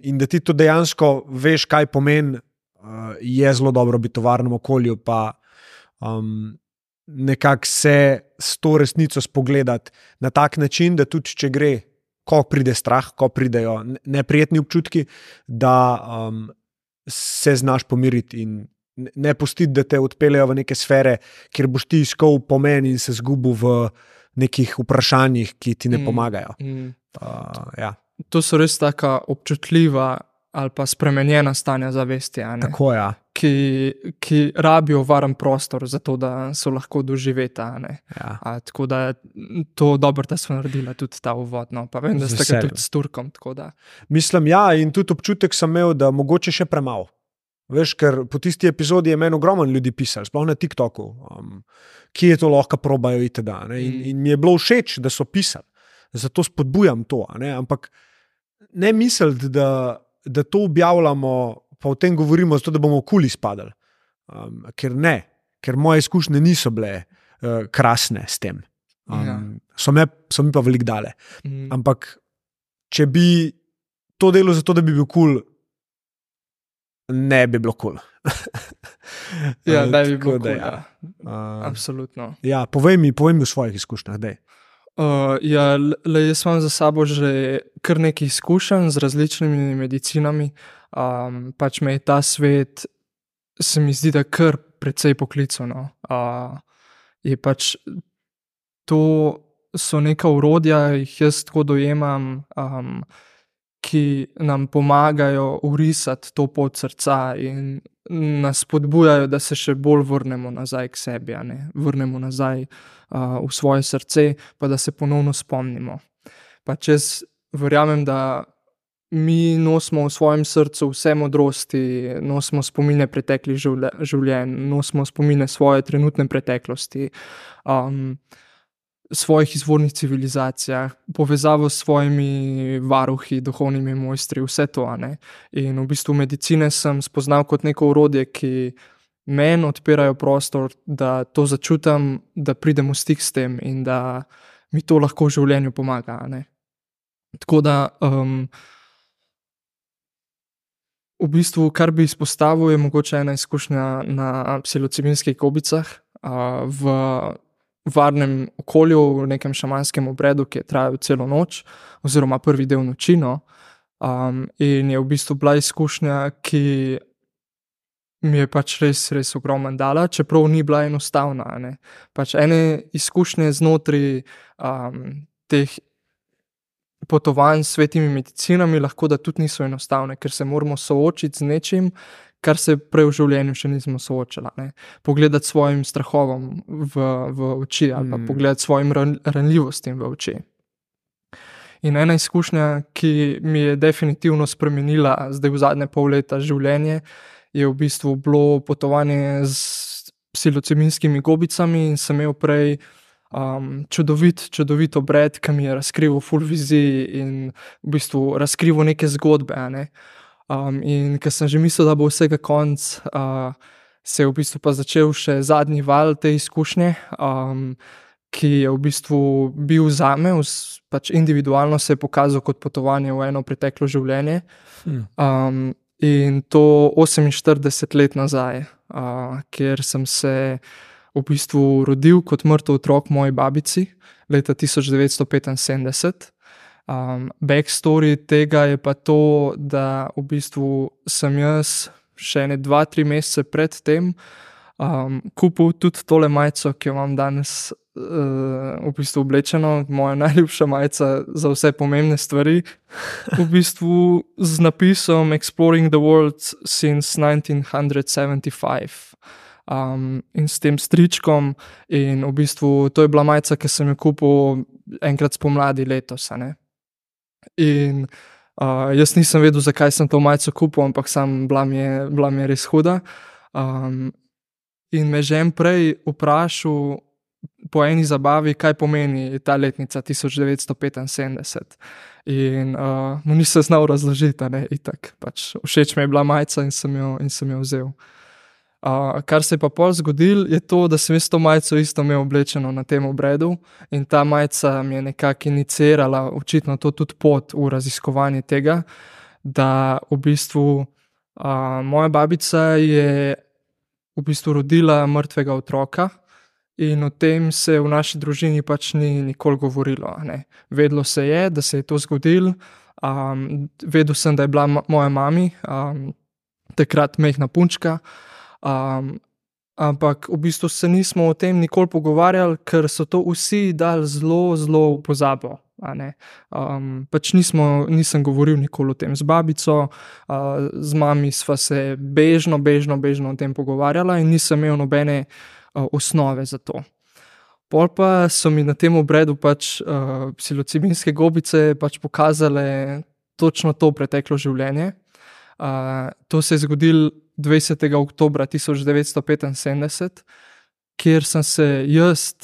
in da ti to dejansko veš, kaj pomeni, je zelo dobro biti v varnem okolju, pa nekako se s to resnico spogledati na tak način, da tudi če gre, ko pride strah, ko pridejo neprijetni občutki, da se znaš pomiriti in ne pustiti, da te odpeljejo v neke sfere, kjer boš ti iskal pomen in se zgubil v nekih vprašanjih, ki ti ne pomagajo. Ja. To so res taka občutljiva ali pa spremenjena stanja zavesti, a ne? Tako, ja. Ki rabijo varen prostor za to, da so lahko doživeta, a ne? Ja. Tako da to dobro, da smo naredila tudi ta uvod, no. Pa vem, da ste ga tudi s Turkom, tako da. Mislim, ja, in tudi občutek sem imel, da mogoče še premalo. Veš, ker po tisti epizodi je meni ogromno ljudi pisali, sploh na TikToku, kje je to lahko probajo itd. In mi je bilo všeč, da so pisali. Zato spodbujam to, ne? Ampak ne misliti, da to objavljamo, pa o tem govorimo zato, da bomo kul izpadali. Ker ne. ker moje izkušnje niso bile krasne s tem. So mi pa veliko dale. Ampak, če bi to delo zato, da bi bil kul, ne bi bilo kul. Ja, da bi bilo kul, ja. Absolutno. Ja, povej mi v svojih izkušnjah, daj. Jaz imam za sabo že kar nekaj izkušenj z različnimi medicinami. Pač me je ta svet, se mi zdi, da kar precej poklical, no. Je pač to so neka orodja, jih jaz tako dojemam, ki nam pomagajo urisati to pot srca in nas spodbujajo, da se še bolj vrnemo nazaj k sebi, a ne? Vrnemo nazaj v svoje srce, pa da se ponovno spomnimo. Pač jaz verjamem, da mi nosimo v svojem srcu vse modrosti, nosimo spomine preteklih življenj, nosimo spomine svoje trenutne preteklosti, svojih izvornih civilizacijah, povezavo s svojimi varuhi, duhovnimi mojstri, vse to, a ne. In v bistvu medicine sem spoznal kot neko orodje, ki meni odpirajo prostor, da to začutim, da pridem v stik s tem in da mi to lahko v življenju pomaga, a ne. Tako da v bistvu, kar bi izpostavil, je mogoče ena izkušnja na psilocibinskih gobicah v varnem okolju, v nekem šamanskem obredu, ki je trajal celo noč, oziroma prvi del noči, no. In je v bistvu bila izkušnja, ki mi je pač res ogromno dala, čeprav ni bila enostavna, a ne. Pač ene izkušnje znotraj teh potovanj s svetimi medicinami lahko da tudi niso enostavne, ker se moramo soočiti z nečim, kar se prej v življenju še nismo soočali, ne. Pogledati svojim strahovom v oči ali pa pogledati svojim ranljivostim v oči. In ena izkušnja, ki mi je definitivno spremenila zdaj v zadnje pol leta življenje, je v bistvu bilo potovanje s psilocibinskimi gobicami in sem imel prej čudovit obred, ki mi je razkrival ful vizij in v bistvu razkrival neke zgodbe, a ne. In ko sem že mislil, da bo vsega konec, se je v bistvu pa začel še zadnji val te izkušnje, ki je v bistvu bil zame, pač individualno se je pokazal kot potovanje v eno preteklo življenje. In to 48 let nazaj, kjer sem se v bistvu rodil kot mrtev otrok moji babici leta 1975. Backstory tega je pa to, da v bistvu sem jaz še 2-3 mesece pred tem kupil tudi tole majico, ki jo imam danes v bistvu oblečeno, moja najljubša majica za vse pomembne stvari, v bistvu z napisom Exploring the World since 1975. In s tem stričkom in v bistvu to je bila majica, ki sem jo kupil enkrat spomladi letos, a ne. In jaz nisem vedel, zakaj sem to majico kupil, ampak bila mi je res huda. In me že prej vprašal po eni zabavi, kaj pomeni ta letnica 1975. In mu nisem znal razložiti, a ne, itak. Pač všeč mi je bila majica in sem jo vzel. Kar se je pa pol zgodilo, je to, da sem jaz to majico isto imel oblečeno na tem obredu in ta majica mi je nekako iniciirala očitno to tudi pot v raziskovanje tega, da v bistvu moja babica je v bistvu rodila mrtvega otroka in o tem se v naši družini pač ni nikoli govorilo, a ne. Vedelo se je, da se je to zgodilo, vedel sem, da je bila moja mami takrat majhna punčka, ampak v bistvu se nismo o tem nikoli pogovarjali, ker so to vsi dali zelo v pozabo, a ne. Pač nisem govoril nikoli o tem z babico, z mami sva se bežno o tem pogovarjala in nisem imel nobene osnove za to. Pol pa so mi na tem obredu pač psilocibinske gobice pač pokazale točno to preteklo življenje. To se je zgodilo 20. oktobra 1975, kjer sem se jaz,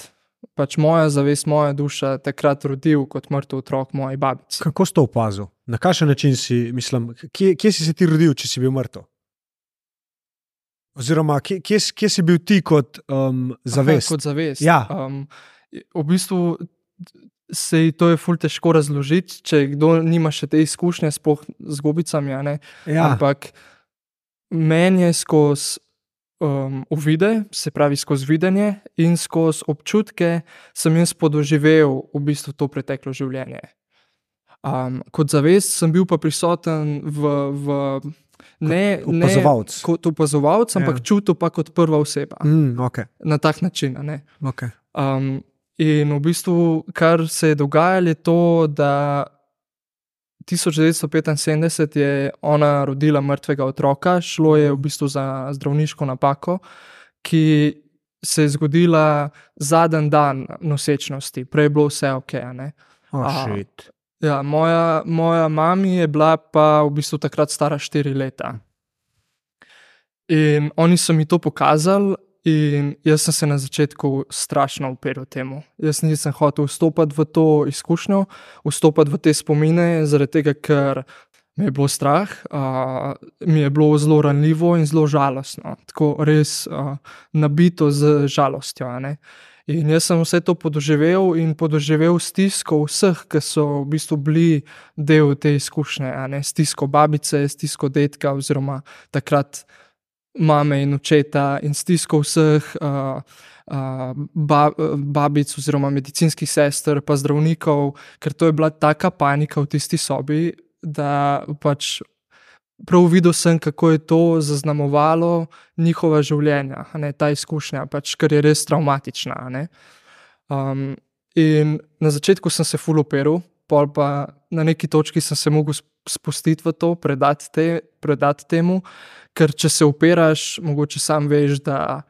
pač moja zavest, moja duša takrat rodil kot mrtev otrok moji babici. Kako si to opazil? Na kakšen način si, mislim, kje si se ti rodil, če si bil mrtev? Oziroma, kje si bil ti kot zavest? Kot zavest. Ja. V bistvu to je ful težko razložiti, če kdo nima še te izkušnje, sploh z gobicami, a ne. Ja. Ampak meni je skozi uvide, se pravi skozi videnje in skozi občutke sem jaz podoživel v bistvu to preteklo življenje. Kot zavest sem bil pa prisoten Opazovalec. kot opazovalec, ampak čutil pa kot prva oseba. Okay. Na tak način, a ne. Okay. In v bistvu, kar se je dogajalo, je to, da 1975 je ona rodila mrtvega otroka, šlo je v bistvu za zdravniško napako, ki se je zgodila zadnji dan nosečnosti, prej je bilo vse ok, a ne. Shit. Ja, moja mami je bila pa v bistvu takrat stara 4 leta. In oni so mi to pokazali in jaz sem se na začetku strašno uperil temu. Jaz nisem hotel vstopati v to izkušnjo, vstopati v te spomine, zaradi tega, ker me je bilo strah, mi je bilo zelo ranljivo in zelo žalostno. Tako res nabito z žalostjo, a ne. In jaz sem vse to podoživel in podoživel stisko vseh, ki so v bistvu bili del te izkušnje, a ne. Stisko babice, stisko dedka oziroma takrat mame in očeta in stisko vseh babic oziroma medicinskih sester pa zdravnikov, ker to je bila taka panika v tisti sobi, da pač prav videl sem, kako je to zaznamovalo njihova življenja, a ne, ta izkušnja, pač, ker je res travmatična, a ne. In na začetku sem se ful uperil, pol pa na neki točki sem se mogel spustiti v to, predati temu, ker če se upiraš, mogoče sam veš, da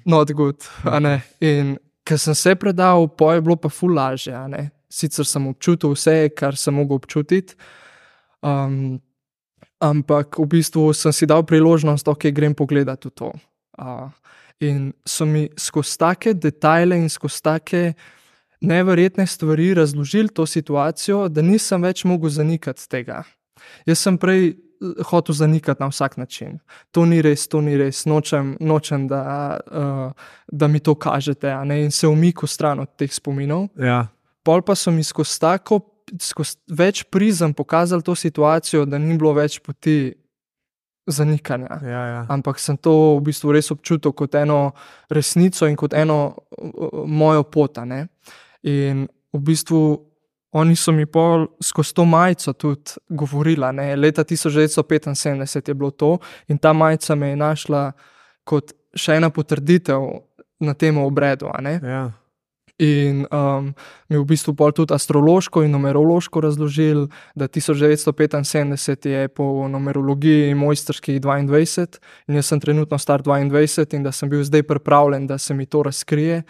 not good, a ne. In ker sem se predal, pol je bilo pa ful lažje, a ne. Sicer sem občutil vse, kar sem mogel občutiti, ampak v bistvu sem si dal priložnost, ok, grem pogledat v to. In so mi skozi take detajle in skozi take neverjetne stvari razložili to situacijo, da nisem več mogel zanikati tega. Jaz sem prej hotel zanikati na vsak način. To ni res, nočem, da mi to kažete, a ne, in se umikal stran od teh spominov. Ja. Pol pa so mi skozi več prizem pokazali to situacijo, da ni bilo več poti zanikanja. Ja. Ampak sem to v bistvu res občutil kot eno resnico in kot eno mojo pot, a ne. In v bistvu oni so mi pol skozi to majico tudi govorili, a ne. Leta 1975 je bilo to in ta majica me je našla kot še ena potrditev na tem obredu, a ne. Ja. In mi v bistvu pol tudi astrološko in numerološko razložili, da 1975 je po numerologiji mojstrskih 22 in jaz sem trenutno star 22 in da sem bil zdaj pripravljen, da se mi to razkrije.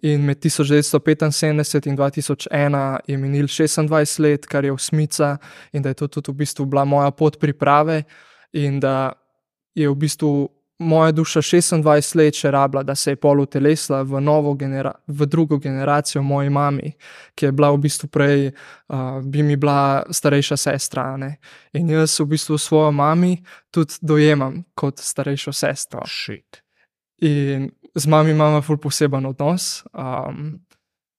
In med 1975 in 2001 je minil 26 let, kar je osmica, in da je to tudi v bistvu bila moja pot priprave in da je v bistvu moja duša 26 let še rabila, da se je pol utelesila v drugo generacijo moji mami, ki je bila v bistvu prej, bi mi bila starejša sestra, a ne. In jaz v bistvu svojo mami tudi dojemam kot starejšo sestro. Shit. In z mami imamo ful poseben odnos.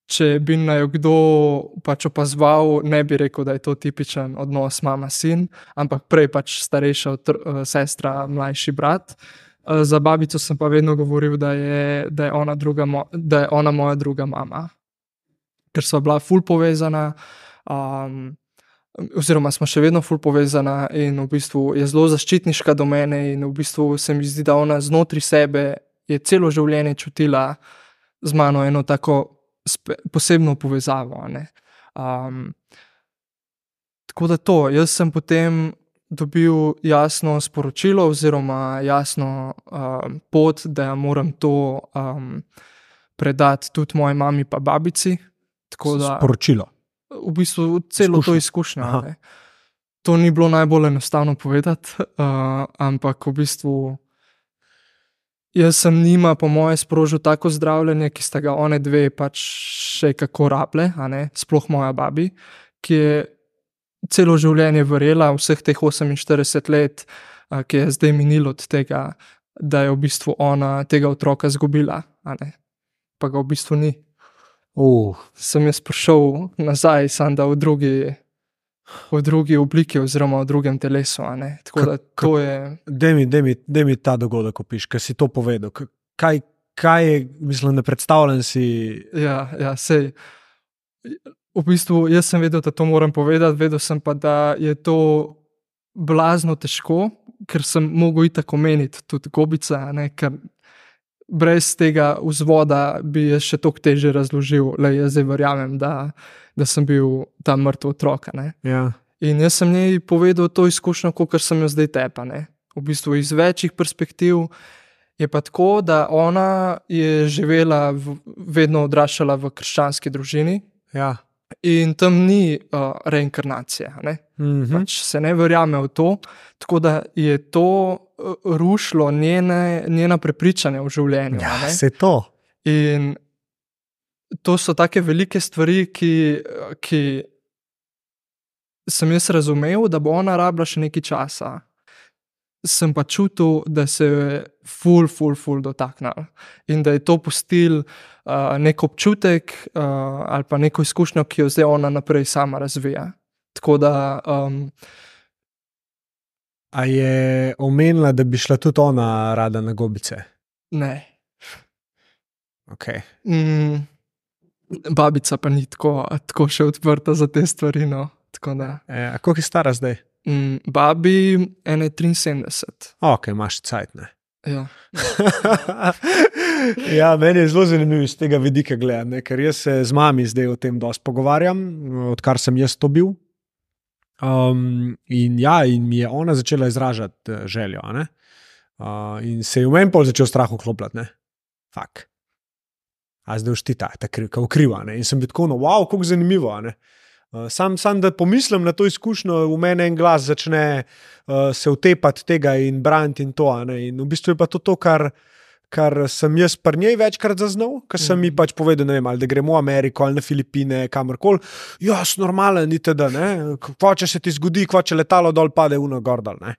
Če bi naj kdo pač opazoval, ne bi rekel, da je to tipičen odnos mama-sin, ampak prej pač starejša sestra, mlajši brat. Za babico sem pa vedno govoril, da je ona moja druga mama. Ker sva bila ful povezana, oziroma smo še vedno ful povezana in v bistvu je zelo zaščitniška do mene in v bistvu se mi zdi, da ona znotri sebe je celo življenje čutila z mano eno tako posebno povezavo, a ne. Tako da to, jaz sem potem dobil jasno sporočilo oziroma jasno pot, da moram to predati tudi moji mami pa babici. Tako da, sporočilo. V bistvu celo to izkušnjo. To ni bilo najbolj enostavno povedati, ampak v bistvu jaz sem njima po moje sprožil tako zdravljenje, ki sta ga one dve pač še kako rable, a ne, sploh moja babi, ki je celo življenje verjela, vseh teh 48 let ki je zdaj minilo od tega, da je v bistvu ona tega otroka izgubila, a ne. Pa ga v bistvu ni. Sem jaz prišel nazaj, samo da v drugi obliki oziroma v drugem telesu, a ne. Tako da to je... Daj mi ta dogodek opiš, ker si to povedal. Kaj je, mislim, ne predstavljam si... Ja, sej. V bistvu jaz sem vedel, da to moram povedati, vedel sem pa, da je to blazno težko, ker sem mogel itak omeniti tudi Gobica, ne, ker brez tega vzvoda bi jaz še toliko težje razložil, jaz zdaj verjamem, da sem bil ta mrtev otrok, ne. Ja. In jaz sem njej povedal to izkušnjo, kakor sem jo zdaj tepa, ne. V bistvu iz večjih perspektiv je pa tako, da ona je živela, vedno odraščala v krščanski družini. Ja. In tam ni reinkarnacije, ne? Pač se ne verjame v to, tako da je to rušilo njena prepričanja v življenju. Ja, se to. In to so take velike stvari, ki sem jaz razumel, da bo ona rabila še nekaj časa. Sem pa čutil, da se je ful dotaknila in da je to pustil nek občutek ali pa neko izkušnjo, ki jo zdaj ona naprej sama razvija. Tako da... A je omenila, da bi šla tudi ona rada na Gobice? Ne. Ok. Babica pa ni tako še odprta za te stvari, no. Tako da... A koliko je stara zdaj? Babi 73. Ok, imaš cajt, ne? Ja. Ja, meni je zelo zanimivo iz tega vidika gledati, ker jaz se z mami zdaj o tem dosti pogovarjam, odkar sem jaz to bil. In mi je ona začela izražati željo, ne? In se je v meni pol začel strah vklopljati, ne? Fak. A zdaj uštita, ta kriva, ne? In sem bil tako, wow, koliko zanimivo, ne? Sam da pomislim na to izkušnjo, v mene en glas začne se utepati tega in braniti in to, ne? In v bistvu je pa to, kar sem jaz pri njej večkrat zaznal, ker sem mi pač povedal, ne vem, ali da gremo v Ameriko ali na Filipine, kamorkoli. Jaz, normalen, itd., ne? Kva če se ti zgodi, kva če letalo dol pade uno gor dol, ne?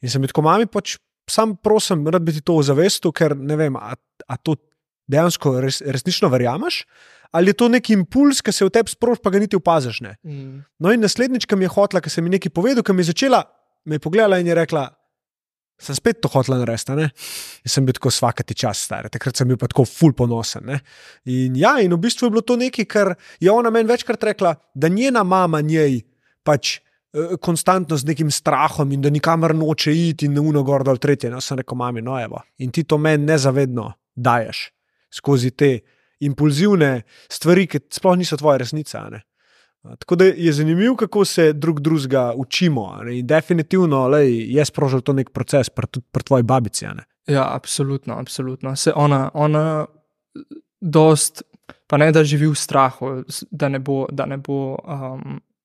In sem bil tako, mami, pač sam prosim, rad bi ti to ozavestil, ker ne vem, a to dejansko resnično verjameš, ali je to nek impuls, ki se v tebi sproži, pa ga niti opaziš, ne. No in naslednjič, ki mi je hotla, ki sem mi nekaj povedal, ki mi je začela, me je pogledala in je rekla, sem spet to hotla narediti, ne. In sem bil tako svakati čas star, takrat sem bil pa tako ful ponosen, ne. In v bistvu je bilo to nekaj, kar je ona meni večkrat rekla, da njena mama njej pač konstantno z nekim strahom in da nikamor noče iti in uno gor dol tretje. No, sem rekel, mami, no evo, in ti to meni nezavedno daješ skozi te impulzivne stvari, ki sploh niso tvoja resnica, ne. Tako da je zanimivo, kako se drugega učimo, ne? In definitivno je sprožil to nek proces pri tvoji babici, ne. Ja, absolutno. Se ona dost, pa ne da živi v strahu, da ne bo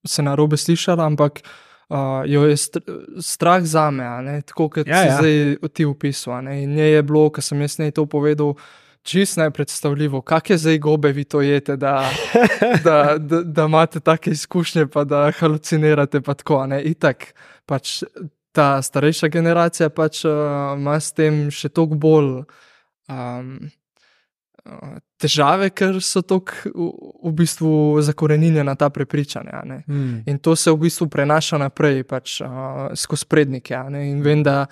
se narobe slišala, ampak jo je strah zame, ne? Tako kot si zdaj ti opisal, ne? In njej je bilo, ko sem jaz njej to povedal, čisto nepredstavljivo, kak je zdaj gobe vi to jete, da imate take izkušnje, pa da halucinirate, pa tako, ne, itak, pač ta starejša generacija pač ima s tem še toliko bolj težave, ker so toliko v bistvu zakoreninjena ta prepričanja, ne. In to se v bistvu prenaša naprej, pač skozi prednike, ne, in vem, da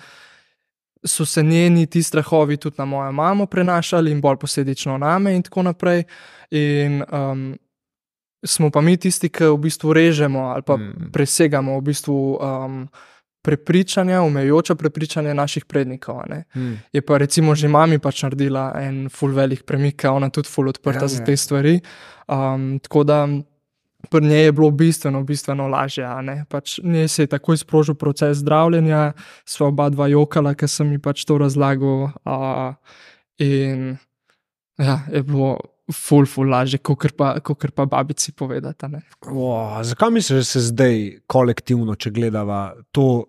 so se njeni ti strahovi tudi na mojo mamo prenašali in bolj posledično name in tako naprej. In smo pa mi tisti, ki v bistvu režemo ali pa presegamo v bistvu prepričanja, omejujoča prepričanja naših prednikov, ne. Je pa recimo že mami pač naredila en ful velik premik, ona tudi ful odprta za te stvari. Tako da pri njej je bilo bistveno lažje, ne. Pač njej se je takoj sprožil proces zdravljenja, sva oba dva jokala, ker sem mi pač to razlagal, in je bilo ful lažje, kakor pa babici povedati, ne. Zakaj misliš, da se zdaj kolektivno, če gledava, to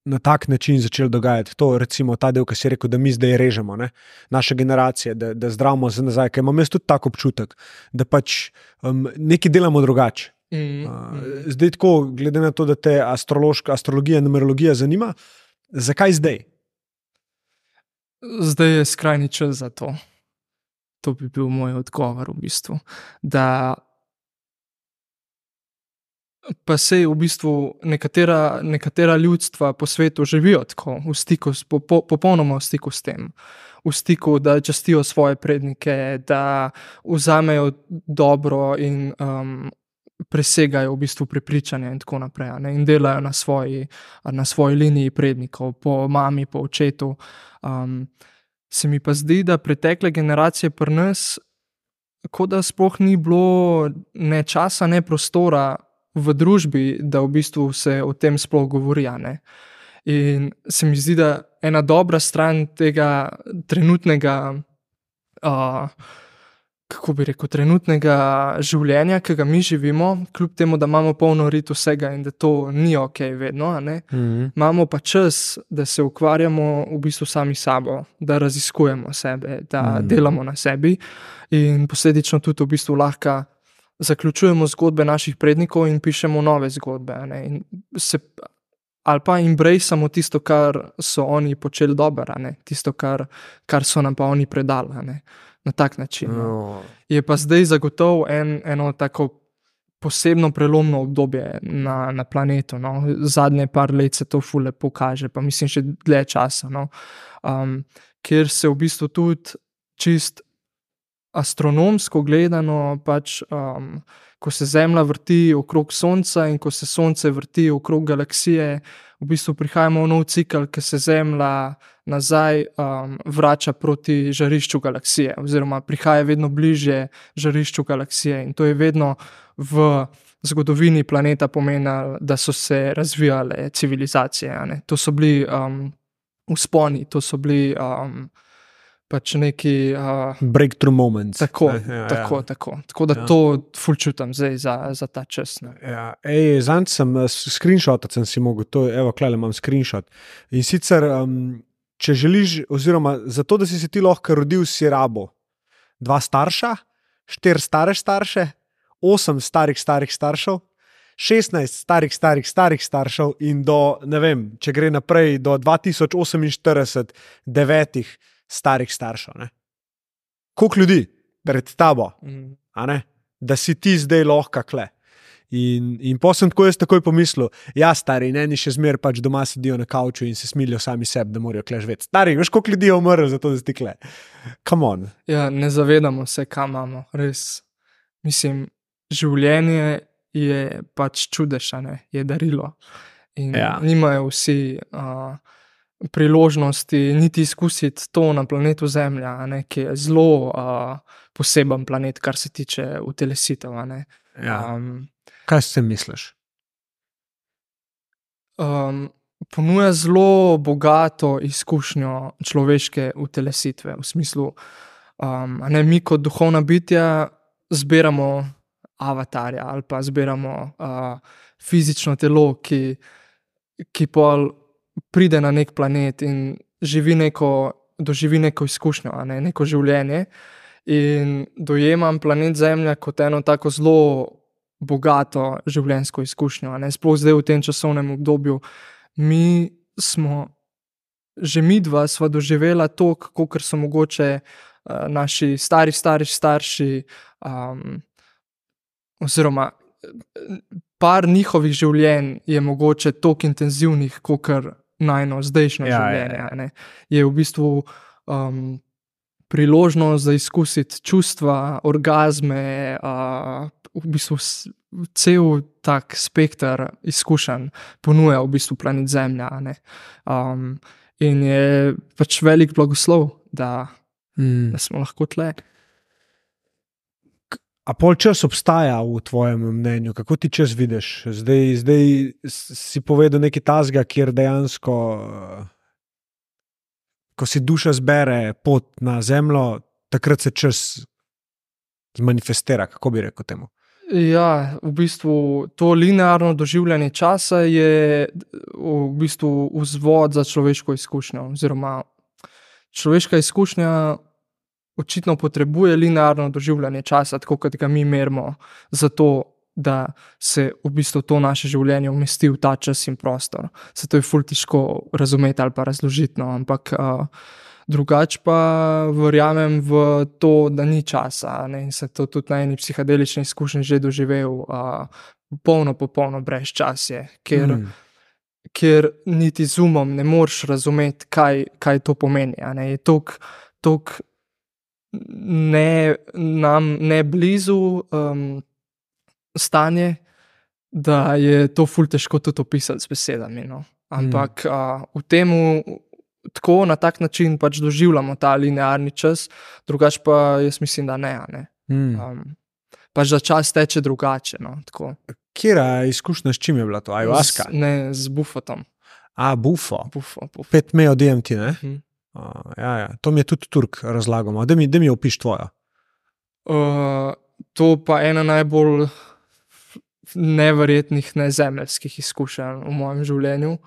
na tak način začelo dogajati? To, recimo, ta del, ki si rekel, da mi zdaj režemo, ne, naše generacije, da zdravimo se nazaj, ker imam jaz tudi tak občutek, da pač nekaj delamo drugače. Zdaj tako, glede na to, da te astrologija, numerologija zanima, Zakaj zdaj? Zdaj je skrajni čas za to. To bi bil moj odgovor v bistvu. Da pa sej v bistvu nekatera ljudstva po svetu živijo tako, v stiku, popolnoma v stiku s tem. V stiku, da častijo svoje prednike, da vzamejo dobro in presegajo v bistvu prepričanja in tako naprej, ne, in delajo na svoji liniji prednikov, po mami, po očetu. Se mi pa zdi, da pretekle generacije pri nas, kot da sploh ni bilo ne časa, ne prostora v družbi, da v bistvu se o tem sploh govori, ne. In se mi zdi, da ena dobra stran tega trenutnega, kako bi rekel, trenutnega življenja, ki ga mi živimo, kljub temu, da imamo polno rit vsega in da to ni okej vedno, a ne, imamo pa čas, da se ukvarjamo v bistvu sami sabo, da raziskujemo sebe, da delamo na sebi in posledično tudi v bistvu lahko zaključujemo zgodbe naših prednikov in pišemo nove zgodbe, a ne, in ali pa embraceamo tisto, kar so oni počeli dobro, a ne, tisto, kar so nam pa oni predali, a ne. Na tak način. No. Je pa zdaj zagotovo eno tako posebno prelomno obdobje na planetu. No. Zadnje par let se to ful lepo kaže, pa mislim še dlje časa. No. Kjer se v bistvu tudi čist astronomsko gledano, pač, ko se Zemlja vrti okrog Sonca in ko se Sonce vrti okrog galaksije, v bistvu prihajamo v nov cikel, ki se Zemlja nazaj vrača proti žarišču galaksije, oziroma prihaja vedno bližje žarišču galaksije, in to je vedno v zgodovini planeta pomenilo, da so se razvijale civilizacije, a ne. To so bili vzponi, to so bili pač neki breakthrough moments. Tako. Tako da to ful čutim zdaj za ta čas. Ja. Zanj screenshotat sem si mogel, evo, klele imam screenshot. In sicer, če želiš, oziroma zato, da si se ti lahko rodil, si rabo 2 starša, 4 stare starše, 8 starih staršev, 16 starih staršev in do, ne vem, če gre naprej, do 2048 9 starih staršev. Ne? Koliko ljudi pred tabo, a ne? Da si ti zdaj lahko kle. In po sem tako jaz takoj pomislil, ja, stari, eni še zmer pač doma sedijo na kavču in se smilijo sami sebi, da morajo kle živeti. Stari, veš, koliko ljudi je umrlo za to, da si ti kle. Come on. Ja, ne zavedamo se, kam imamo, res. Mislim, življenje je pač čudež, a ne, je darilo. In nimajo vsi priložnosti niti izkusiti to na planetu Zemlja, a ne, ki je zelo poseben planet, kar se tiče utelesitev, a ne. Kaj si misliš? Ponuja zelo bogato izkušnjo človeške utelesitve, v smislu, a ne, mi kot duhovna bitja zbiramo avatarja ali pa zbiramo fizično telo, ki pol pride na nek planet in doživi neko izkušnjo, a ne, neko življenje, in dojemam planet Zemlja kot eno tako zelo bogato življenjsko izkušnjo, a ne, sploh zdaj v tem časovnem obdobju. Midva sva doživela to, kakor so mogoče naši starši, oziroma par njihovih življenj je mogoče toliko intenzivnih, kakor najno zdajšnjo življenje. Ne. Je v bistvu priložnost za izkusiti čustva, orgazme, v bistvu cel tak spekter izkušenj ponuja v bistvu planet Zemlja, ne. In je pač velik blagoslov, da smo lahko tle. A pol čas obstaja v tvojem mnenju? Kako ti čas vidiš? Zdaj si povedal nekaj tazga, kjer dejansko, ko si duša zbere pot na Zemljo, takrat se čas zmanifestira, kako bi rekel temu? Ja, v bistvu to linearno doživljanje časa je v bistvu vzvod za človeško izkušnjo, oziroma človeška izkušnja očitno potrebuje linearno doživljanje časa, tako kot ga mi merimo, zato da se v bistvu to naše življenje umesti v ta čas in prostor. Se to je ful težko razumeti ali pa razložiti, no, ampak drugače pa verjamem v to, da ni časa, ne, in sem to tudi na eni psihadelični izkušnji že doživel, popolno brezčasje, ker niti z umom ne moreš razumeti, kaj to pomeni, a ne, je toliko ne blizu stanje, da je to ful težko tudi opisati z besedami, no. Ampak v temu tako na tak način pač doživljamo ta linearni čas, drugače pa jaz mislim, da ne, a ne. Pač da čas teče drugače, no, tako. Kjera izkušnja, s čim je bila to? Ayahuasca? Ne, z bufotom. Bufo. Bufo. 5-meo DMT, ne? Ja. To mi je tudi Turk razlagal. Da mi opiš tvojo. To pa ena najbolj neverjetnih nezemeljskih izkušenj v mojem življenju.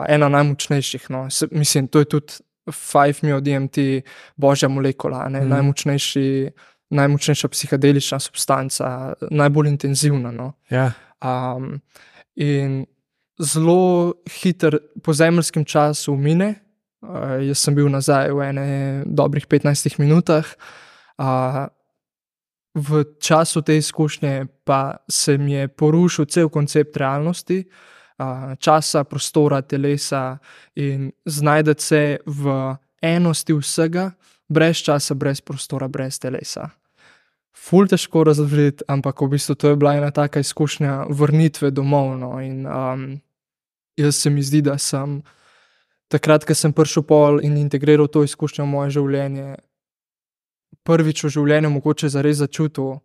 Ena najmočnejših, no. Mislim, to je tudi 5-meo DMT, božja molekula, ne? Najmočnejša psihadelična substanca, najbolj intenzivna, no. Ja. In zelo hiter po zemeljskem času mine. Jaz sem bil nazaj v ene dobrih 15 minutah. V času te izkušnje pa se mi je porušil cel koncept realnosti, časa, prostora, telesa in znajdeti se v enosti vsega, brez časa, brez prostora, brez telesa. Ful težko razložiti, ampak v bistvu to je bila ena taka izkušnja vrnitve domov, no, in jaz se mi zdi, da sem takrat, ko sem prišel pol in integriral to izkušnjo v moje življenje, prvič v življenju mogoče zares začutil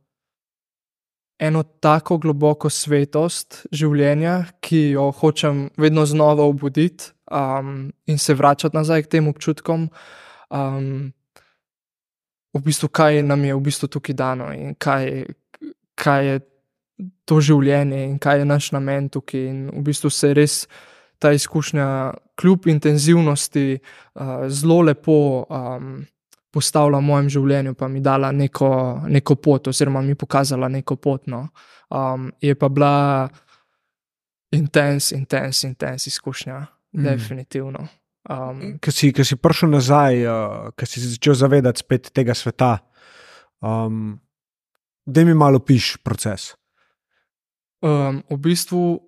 eno tako globoko svetost življenja, ki jo hočem vedno znova obuditi, in se vračati nazaj k tem občutkom. V bistvu, kaj nam je v bistvu tukaj dano in kaj je to življenje in kaj je naš namen tukaj, in v bistvu se je res ta izkušnja kljub intenzivnosti zelo lepo postavila v mojem življenju, pa mi dala neko pot oziroma mi pokazala neko pot, no. Je pa bila intenz izkušnja, definitivno. Ko si prišel nazaj, ko si začel zavedati spet tega sveta, daj mi malo opiš proces. V bistvu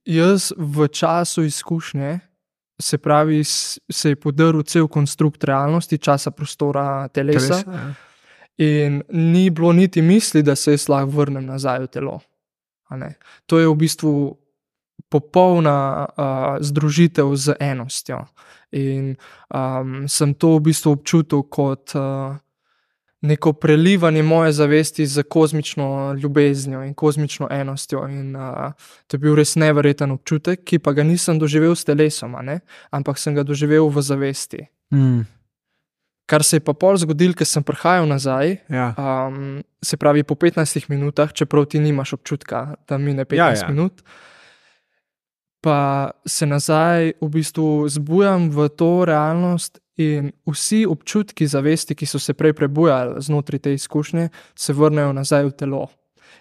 jaz v času izkušnje, se pravi, se je podrl cel konstrukt realnosti, časa, prostora, telesa. In ni bilo niti misli, da se jaz lahko vrnem nazaj v telo. A ne. To je v bistvu popolna združitev z enostjo. In sem to v bistvu občutil kot neko prelivanje moje zavesti z kozmično ljubeznijo in kozmično enostjo. In to je bil res neverjeten občutek, ki pa ga nisem doživel s telesom, a ne? Ampak sem ga doživel v zavesti. Kar se je pa pol zgodilo, ker sem prihajal nazaj, se pravi po 15 minutah, čeprav ti nimaš občutka, da mine 15 minut, pa se nazaj v bistvu zbujam v to realnost in vsi občutki zavesti, ki so se prej prebujali znotraj te izkušnje, se vrnejo nazaj v telo.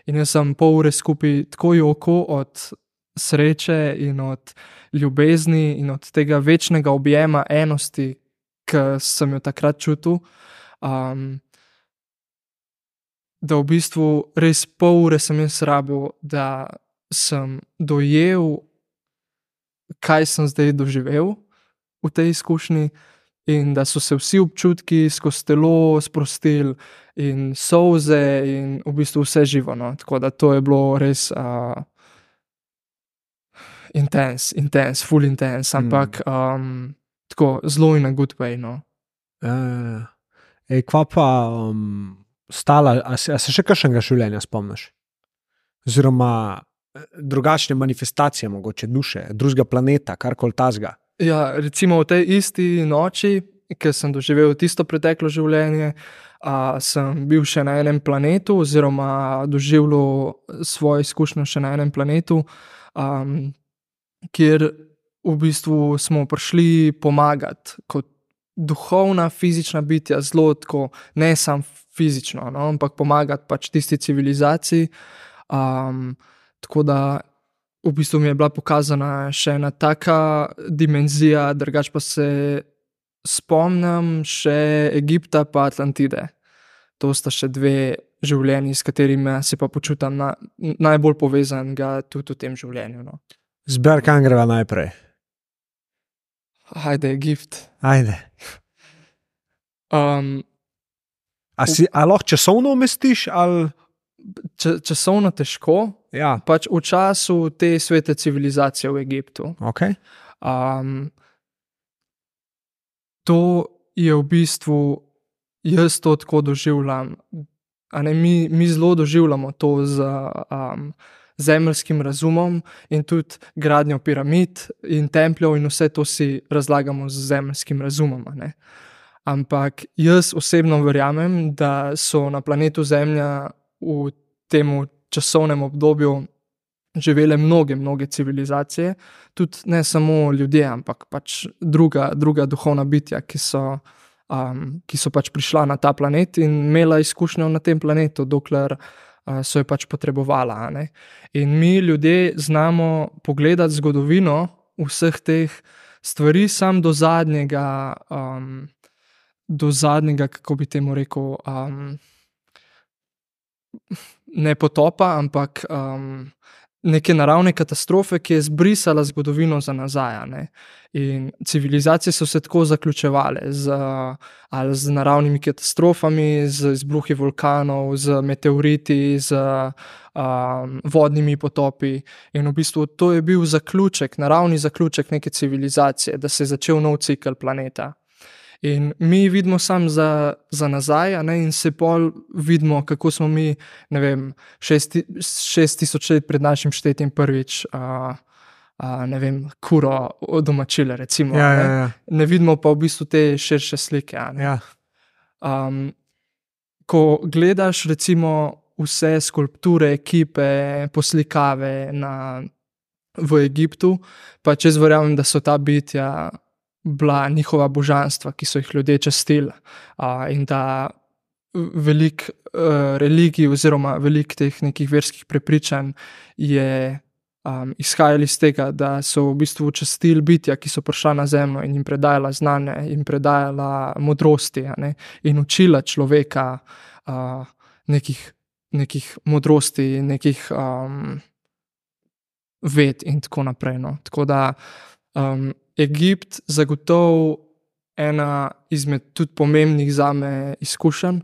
In jaz sem pol ure skupaj tako joko od sreče in od ljubezni in od tega večnega objema enosti, ki sem jo takrat čutil, da v bistvu res pol ure sem jaz rabil, da sem dojel, kaj sem zdaj doživel v tej izkušnji, in da so se vsi občutki skozi telo sprostili in solze in v bistvu vse živo, no. Tako da to je bilo res intense, full intense, ampak tako zelo in a good way, no. Kva pa stala, a se še kakšnega življenja spomniš? Oziroma drugačne manifestacije mogoče duše, drugega planeta, karkoli tazga? Ja, recimo v tej isti noči, ki sem doživel tisto preteklo življenje, sem bil še na enem planetu oziroma doživljal svojo izkušnjo še na enem planetu, kjer v bistvu smo prišli pomagati kot duhovna, fizična bitja, zelo tako, ne samo fizično, no, ampak pomagati pač tisti civilizaciji, Tako da v bistvu mi je bila pokazana še ena taka dimenzija, drugače pa se spomnim še Egipta pa Atlantide. To sta še dve življenji, s katerimi se pa počutim najbolj povezanega tudi v tem življenju. No. Zber, kam greva najprej? Ajde, Egipt. Ajde. A lahko časovno umestiš? Ali... Časovno težko, Ja. pač v času te svete civilizacije v Egiptu. Okay. To je v bistvu, jaz to tako doživljam. Mi zelo doživljamo to z zemeljskim razumom in tudi gradnjo piramid in templjev in vse to si razlagamo z zemeljskim razumom. Ne? Ampak jaz osebno verjamem, da so na planetu Zemlja v tem časovnem obdobju živele mnoge civilizacije, tudi ne samo ljudje, ampak pač druga duhovna bitja, ki so pač prišla na ta planet in imela izkušnjo na tem planetu, dokler so jo pač potrebovali. Ne? In mi ljudje znamo pogledati zgodovino vseh teh stvari sam do zadnjega, kako bi temu rekel, ne potopa, ampak neke naravne katastrofe, ki je zbrisala zgodovino za nazaj. Ne? In civilizacije so se tako zaključevale ali z naravnimi katastrofami, z izbruhi vulkanov, z meteoriti, z vodnimi potopi. In v bistvu to je bil zaključek, naravni zaključek neke civilizacije, da se je začel nov cikel planeta. In mi vidimo samo za nazaj, ne, in se pol vidimo, kako smo mi, ne vem, 6000 let pred našim štetjem prvič, ne vem, kuro domačile, recimo. Ja. Ne vidimo pa v bistvu te širše slike. Ja. Ko gledaš recimo vse skulpture, kipe, poslikave v Egiptu, pa če verjamem, da so ta bitja bila njihova božanstva, ki so jih ljudje častili, in da veliko religij oziroma veliko teh nekih verskih prepričanj je izhajali iz tega, da so v bistvu častili bitja, ki so prišla na zemljo in jim predajala znanje, jim predajala modrosti, ne, in učila človeka nekih modrosti, nekih ved in tako naprej. No. Tako da Egipt zagotovo ena izmed tudi pomembnih zame izkušenj.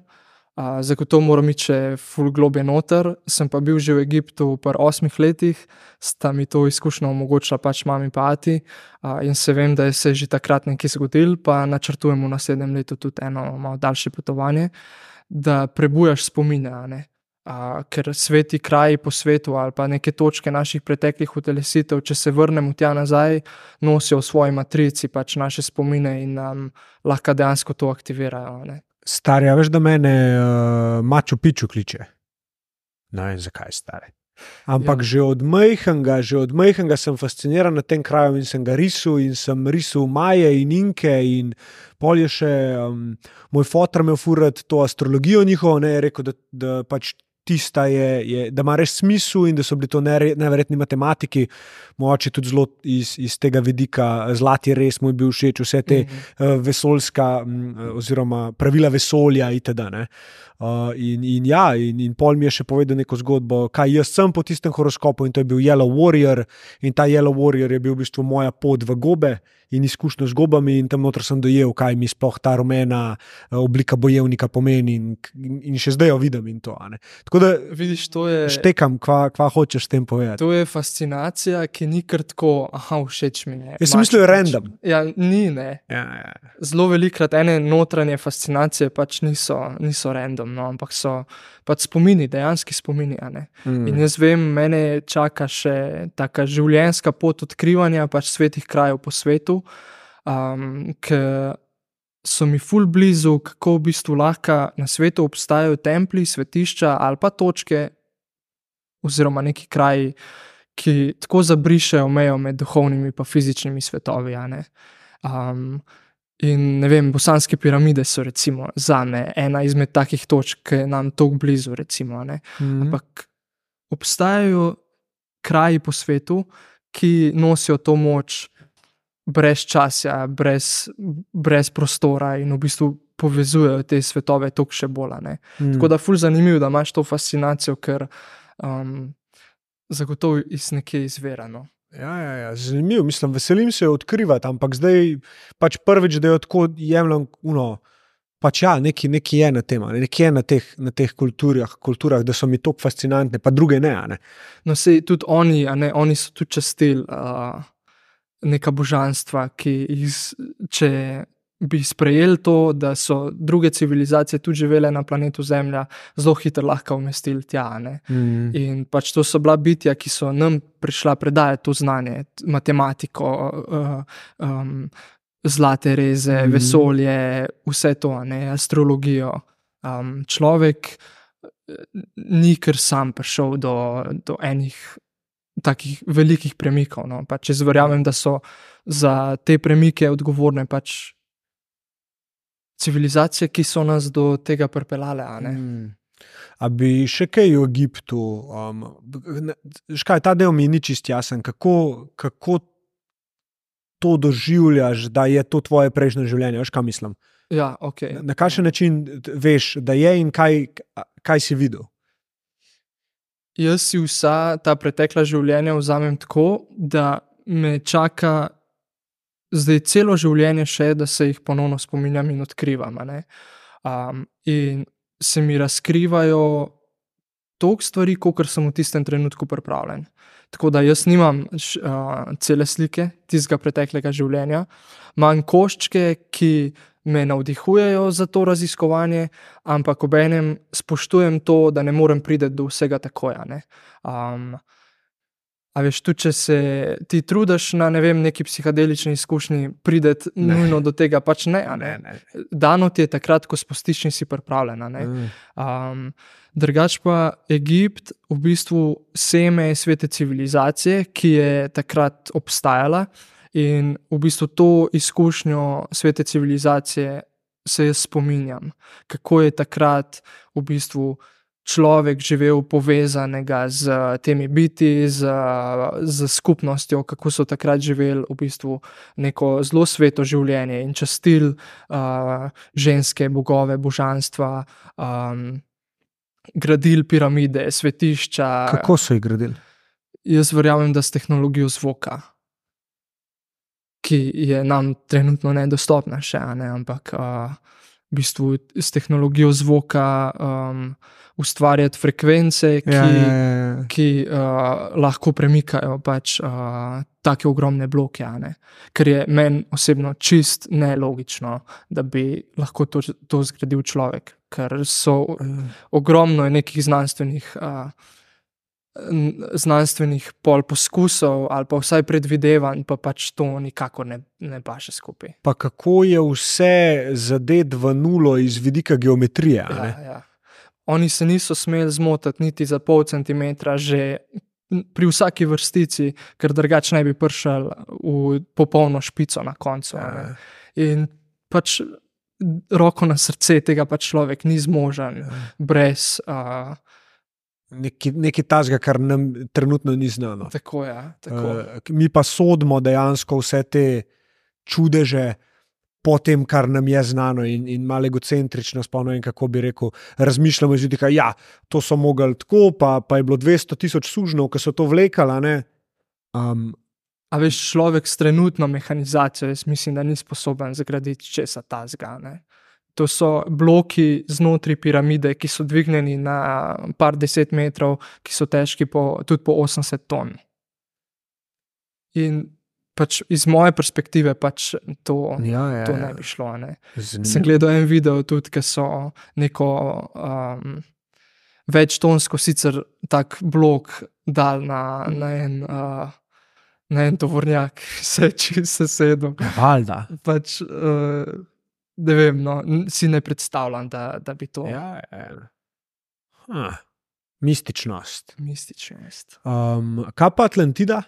Zagotovo moram iti še ful globje noter. Sem pa bil že v Egiptu pri 8 letih, sta mi to izkušnjo omogočila pač mami pa ati, in se vem, da je se že takrat nekaj zgodilo, pa načrtujem v naslednjem letu tudi eno malo daljše potovanje, da prebujaš spomine, ne. Ker sveti kraji po svetu ali pa neke točke naših preteklih utelesitev, če se vrnemo tja nazaj, nosijo v svoji matrici pač naše spomine in nam lahko dejansko to aktivirajo. Ne. Starja, veš, da mene Machu Picchu kliče. Ne vem, zakaj, stari. Ampak že od majhnega sem fasciniran nad tem krajem in sem ga risal in sem risal Maje in Inke in pol je še moj fotor imel furat to astrologijo njihovo, ne, je rekel, da pač tista je, da ima res smisel in da so bili to neverjetni matematiki, mogoče tudi zelo iz tega vidika, zlati res mu je bil všeč, vse te vesoljska oziroma pravila vesolja itd. Ne. In pol mi je še povedal neko zgodbo, kaj jaz sem po tistem horoskopu, in to je bil Yellow Warrior, in ta Yellow Warrior je bil v bistvu moja pot v gobe in izkušnjo z gobami, in tam noter sem dojel, kaj mi sploh ta rumena oblika bojevnika pomeni, in še zdaj jo vidim in to. Ne. Tako da vidiš, to je, štekam, kva hočeš s tem povedati. To je fascinacija, ki ni kar tako, všeč mi je. Jaz sem mislil, je random. Ja, ni, ne. Ja. Zelo velikrat ene notranje fascinacije pač niso random, no, ampak so pač spomini, dejanski spomini. In jaz vem, mene čaka še taka življenjska pot odkrivanja pač svetih krajev po svetu, ki so mi ful blizu, kako v bistvu lahko na svetu obstajajo templji, svetišča ali pa točke oziroma neki kraji, ki tako zabrišejo mejo med duhovnimi pa fizičnimi svetovi. In ne vem, bosanske piramide so recimo zame ena izmed takih točk, ki je nam toliko blizu, recimo. Ampak obstajajo kraji po svetu, ki nosijo to moč brez časa, brez prostora in v bistvu povezujejo te svetove toliko še bolj. Tako da ful zanimivo, da imaš to fascinacijo, ker zagotovo iz nekje izverano. Ja, zanimivo, mislim, veselim se odkrivati, ampak zdaj pač prvič, da jo tako jemljem, pač ja, nekaj je na tem, nekaj je na teh kulturah, da so mi toliko fascinantne, pa druge ne. No, sej tudi oni so tudi častili neka božanstva, ki če bi sprejeli to, da so druge civilizacije tudi živele na planetu Zemlja, zelo hitro lahko umestili tja. In pač to so bila bitja, ki so nam prišla predajati to znanje, matematiko, zlate reze, vesolje, vse to, astrologijo. Človek ni kar sam prišel do enih takih velikih premikov. Pač jaz verjamem, da so za te premike odgovorne pač civilizacije, ki so nas do tega pripeljale. A bi še kaj v Egiptu, ta del mi ni čist jasen, kako to doživljaš, da je to tvoje prejšnje življenje, veš, kaj mislim? Ja, ok. Na kakšen način veš, da je in kaj si videl? Jaz si vsa ta pretekla življenja vzamem tako, da me čaka zdaj celo življenje še, da se jih ponovno spominjam in odkrivam. In se mi razkrivajo toliko stvari, kolikor sem v tistem trenutku pripravljen. Tako da jaz nimam cele slike tistega preteklega življenja, imam koščke, ki me navdihujejo za to raziskovanje, ampak obenem spoštujem to, da ne morem priti do vsega takoj. A veš, tudi če se ti trudiš na neki psihadelični izkušnji prideti nujno do tega, pač ne. Dano ti je takrat, ko spustiš in si pripravljen. Drugač pa Egipt v bistvu seme svete civilizacije, ki je takrat obstajala, in v bistvu to izkušnjo svete civilizacije se jaz spominjam, kako je takrat v bistvu človek živel povezanega z temi biti, z skupnostjo, kako so takrat živeli v bistvu neko zelo sveto življenje in častili ženske, bogove, božanstva, gradili piramide, svetišča. Kako so jih gradili? Jaz verjamem, da s tehnologijo zvoka, ki je nam trenutno nedostopna še, ampak v bistvu s tehnologijo zvoka ustvarjati frekvence, ki lahko premikajo pač take ogromne bloke. Ker je meni osebno čist nelogično, da bi lahko to zgradil človek. Ker so ogromno nekih znanstvenih poskusov ali pa vsaj predvidevanj, pa pač to nikakor ne paše skupaj. Pa kako je vse zadet v nulo iz vidika geometrije? Ja. Oni se niso smeli zmotiti niti za pol centimetra že pri vsaki vrstici, ker drugače ne bi prišel v popolno špico na koncu. In pač roko na srce tega pač človek ni zmožen brez nekaj tazga, kar nam trenutno ni znano. Tako je. Tako. Mi pa sodimo dejansko vse te čudeže po tem, kar nam je znano in malo egocentrično spomnim, kako bi rekel, razmišljamo iz vidika, to so mogli tako, pa je bilo 200,000 sužnjev, ki so to vlekali, A veš, človek s trenutno mehanizacijo, jaz mislim, da ni sposoben zgraditi česa tazga, To so bloki znotraj piramide, ki so dvignjeni na par 10 metrov, ki so težki tudi po 80 ton. In pač iz moje perspektive pač to ne bi šlo. Sem gledal en video tudi, ki so neko večtonsko sicer tak blok dal na en tovornjak, se sedel. Valjda. Pač ne vem, si ne predstavljam, da bi to. Mističnost. Kaj pa Atlantida?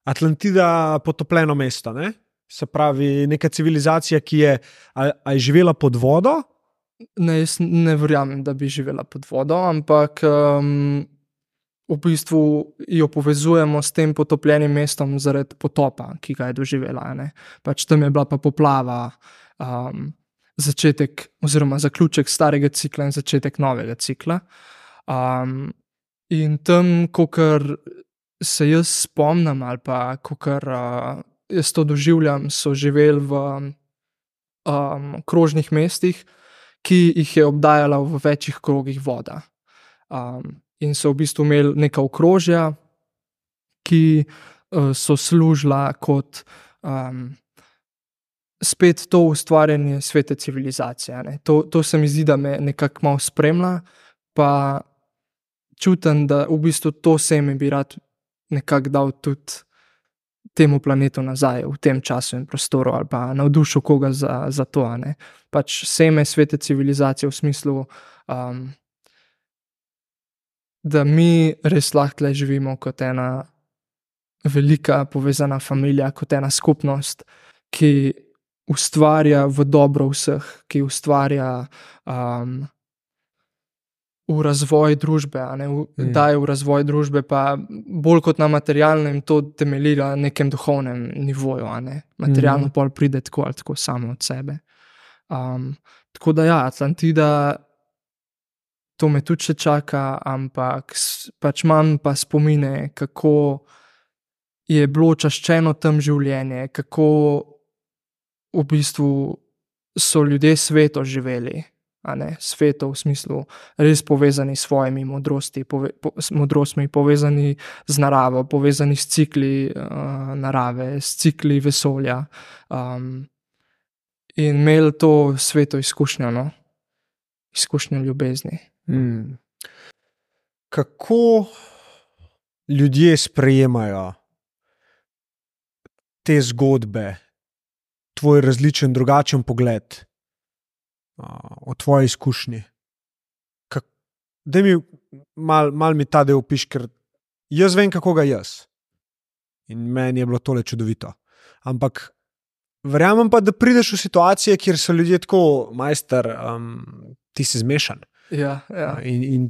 Atlantida potopljeno mesto, ne? Se pravi, neka civilizacija, ki je živela pod vodo? Ne, jaz ne verjamem, da bi živela pod vodo, ampak v bistvu jo povezujemo s tem potopljenim mestom zaradi potopa, ki ga je doživela. Ne. Pač tam je bila pa poplava, začetek oziroma zaključek starega cikla in začetek novega cikla. In tam, kakor se jaz spomnim ali pa kakor jaz to doživljam, so živeli v krožnih mestih, ki jih je obdajala v večjih krogih voda. In so v bistvu imeli neka okrožja, ki so služila kot spet to ustvarjanje svete civilizacije. Ne. To se mi zdi, da me nekako malo spremlja, pa čutim, da v bistvu to seme bi rad nekako dal tudi temu planetu nazaj v tem času in prostoru ali pa navdušil koga za to. Ne. Pač seme svete civilizacije v smislu, da mi res lahko tle živimo kot ena velika povezana familija, kot ena skupnost, ki ustvarja v dobro vseh, ki ustvarja v razvoj družbe, daje v razvoj družbe, pa bolj kot na materialnem to temelji na nekem duhovnem nivoju. Materialno pol pride tako ali tako samo od sebe. Tako da ja, Atlantida, to me tudi še čaka, ampak pač imam pa spomine, kako je bilo čaščeno tam življenje, kako v bistvu so ljudje sveto živeli, sveto v smislu res povezani s svojimi modrostmi, povezani z naravo, povezani s cikli narave, s cikli vesolja. In imeli to sveto izkušnjo, izkušnjo ljubezni. Kako ljudje sprejemajo te zgodbe, tvoj različen, drugačen pogled o tvoji izkušnji? Daj mi mal mi ta del opiši, ker jaz vem, kako ga jaz. In meni je bilo tole čudovito. Ampak verjamem pa, da prideš v situacije, kjer so ljudje tako, majster, ti si zmešan. Ja. In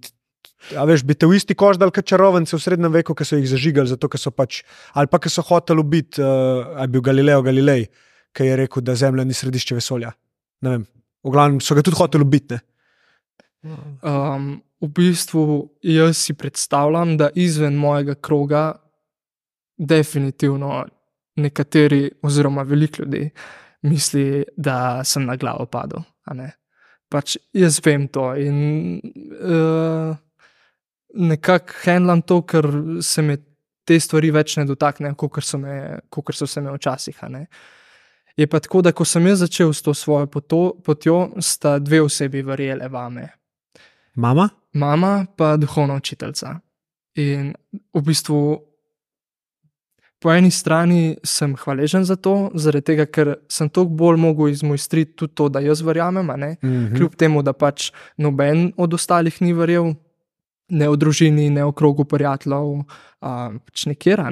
a veš, bi te v isti koš dal kot čarovnice v srednjem veku, ki so jih zažigali, zato ker so pač, ali pa ki so hoteli ubiti, ali bil Galileo Galilej, ki je rekel, da Zemlja ni središče vesolja. Ne vem, v glavnem so ga tudi hoteli ubiti, ne? V bistvu jaz si predstavljam, da izven mojega kroga definitivno nekateri oziroma veliko ljudi misli, da sem na glavo padel, Pač jaz vem to in nekako handlam to, ker se me te stvari več ne dotaknejo, kakor so se me včasih. Je pa tako, da ko sem jaz začel s to svojo potjo, sta dve osebi verjele vame. Mama? Mama pa duhovna učiteljica. In v bistvu po eni strani sem hvaležen za to, zaradi tega, ker sem toliko bolj mogel izmojstriti tudi to, da jaz verjamem, kljub temu, da pač noben od ostalih ni verjel, ne v družini, ne v krogu prijateljev, pač nikjer,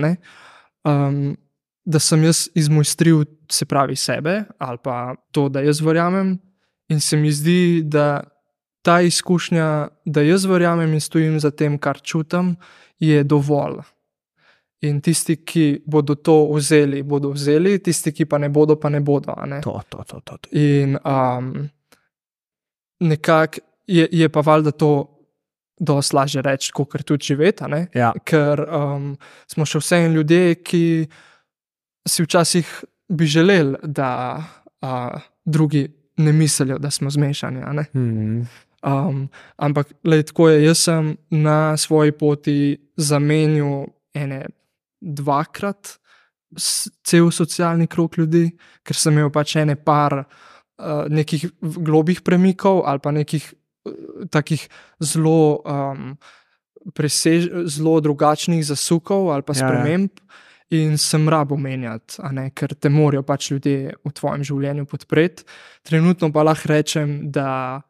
da sem jaz izmojstril, se pravi sebe, ali pa to, da jaz verjamem, in se mi zdi, da ta izkušnja, da jaz verjamem in stojim za tem, kar čutim, je dovolj. In tisti, ki bodo to vzeli, bodo vzeli, tisti, ki pa ne bodo, pa ne bodo. To. In nekako je pa valjda to dosti lažje reči, kakor tudi živeti, Ja. Ker smo še vseeno ljudje, ki si včasih bi želeli, da drugi ne mislijo, da smo zmešani. Ampak tako je, jaz sem na svoji poti zamenjal dvakrat cel socialni krog ljudi, ker sem imel pač par nekih globih premikov ali pa nekih takih zelo zelo drugačnih zasukov ali pa sprememb. In sem rabo menjati, ker te morajo pač ljudje v tvojem življenju podpreti. Trenutno pa lahko rečem, da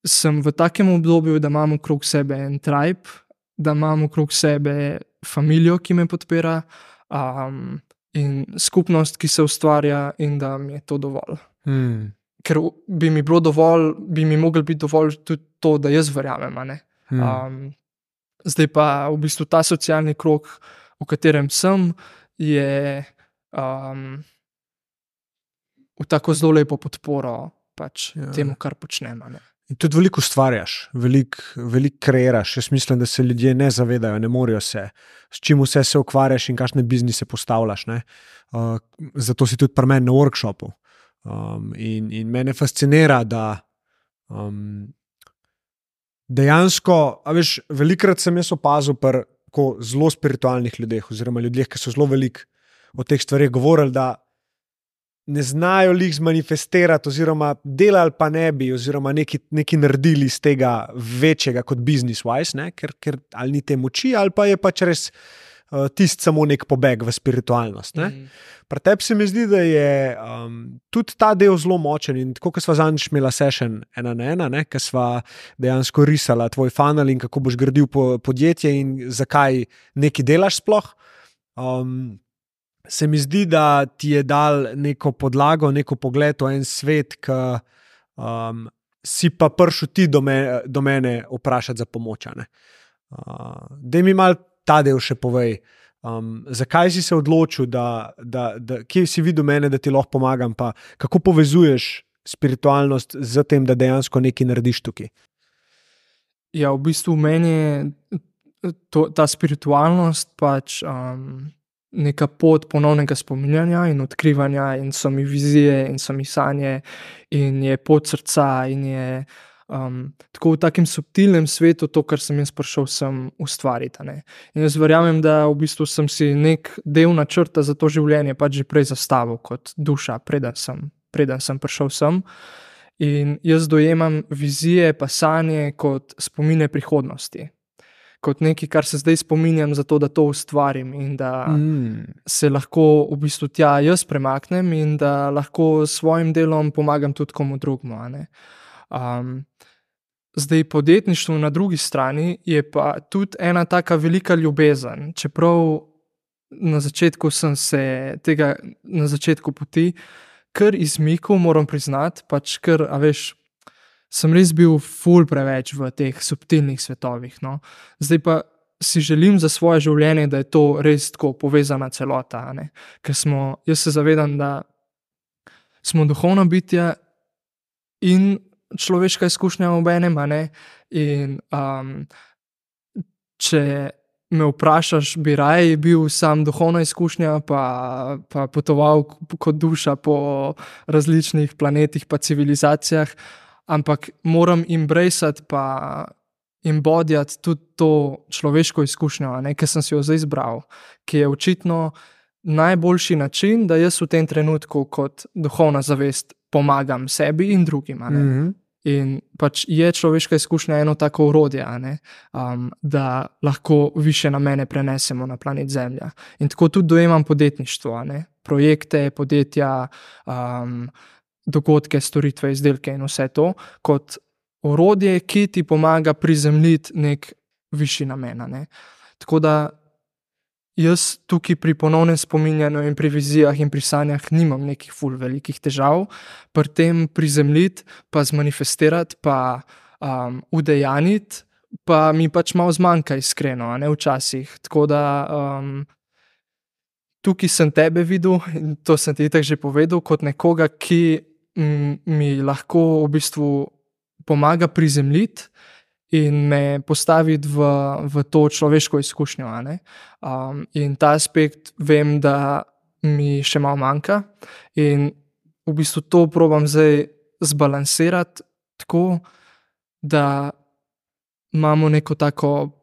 sem v takem obdobju, da imam okrog sebe en tribe, da imam okrog sebe familijo, ki me podpira, in skupnost, ki se ustvarja, in da mi je to dovolj. Ker bi mi bilo dovolj, bi mi moglo biti dovolj tudi to, da jaz verjamem. Zdaj pa v bistvu ta socialni krog, v katerem sem, je v tako zelo lepo podporo pač temu, kar počnem. In tudi veliko ustvarjaš, veliko kreiraš. Jaz mislim, da se ljudje ne zavedajo, ne morejo se, s čim vse se ukvarjaš in kakšne biznise postavljaš. Zato si tudi pri meni na workshopu. In mene fascinira, da dejansko, velikokrat sem jaz opazil pri zelo spiritualnih ljudeh, oziroma ljudeh, ki so zelo veliko o teh stvareh govorili, da ne znajo jih zmanifestirati, oziroma delali pa ne bi, oziroma nekaj naredili iz tega večjega kot business-wise, ker ali ni te moči, ali pa je pač res tisti samo nek pobeg v spiritualnost. Pri tebi se mi zdi, da je tudi ta del zelo močen in tako, kot sva zadnjič imela session 1-1, ker sva dejansko risala tvoj funnel in kako boš gradil podjetje in zakaj nekaj delaš sploh. Se mi zdi, da ti je dal neko podlago, neko pogled v en svet, ki si pa prišel ti do mene vprašati za pomoč. Daj mi malo ta del še povej. Zakaj si se odločil, kje si videl mene, da ti lahko pomagam, pa kako povezuješ spiritualnost z tem, da dejansko nekaj narediš tukaj? Ja, v bistvu meni je ta spiritualnost pač neka pot ponovnega spominjanja in odkrivanja, in so mi vizije, in so mi sanje, in je pot srca, in je tako v takem subtilnem svetu to, kar sem jaz prišel sem ustvariti. In jaz verjamem, da v bistvu sem si nek del načrta za to življenje pač že prej zastavil kot duša, preden sem prišel sem. In jaz dojemam vizije pa sanje kot spomine prihodnosti. Kot nekaj, kar se zdaj spominjam zato, da to ustvarim in da se lahko v bistvu tja jaz premaknem in da lahko s svojim delom pomagam tudi komu drugmu. Zdaj, podjetništvo na drugi strani je pa tudi ena taka velika ljubezen. Čeprav na začetku sem se tega, na začetku poti, kar izmikal, moram priznati, pač kar, sem res bil ful preveč v teh subtilnih svetovih. Zdaj pa si želim za svoje življenje, da je to res tako povezana celota. Ker jaz se zavedam, da smo duhovna bitja in človeška izkušnja obenem. In če me vprašaš, bi raje bil sam duhovna izkušnja, pa potoval kot duša po različnih planetih pa civilizacijah, ampak moram embraceati pa embodijati tudi to človeško izkušnjo, ki sem si jo zdaj izbral, ki je očitno najboljši način, da jaz v tem trenutku kot duhovna zavest pomagam sebi in drugim. In pač je človeška izkušnja eno tako orodje, da lahko više namene prenesemo na planet Zemlja. In tako tudi dojemam podjetništvo, projekte, podjetja, dogodke, storitve, izdelke in vse to, kot orodje, ki ti pomaga prizemljiti nek višji namen. Tako da jaz tukaj pri ponovnem spominjanju in pri vizijah in pri sanjah nimam nekih ful velikih težav, pri tem prizemljiti, pa zmanifestirati, pa udejaniti, pa mi pač malo zmanjka iskreno, včasih. Tako da tukaj sem tebe videl, in to sem ti itak že povedal, kot nekoga, ki mi lahko v bistvu pomaga prizemljiti in me postaviti v to človeško izkušnjo. In ta aspekt vem, da mi še malo manjka, in v bistvu to probam zdaj zbalansirati tako, da imamo neko tako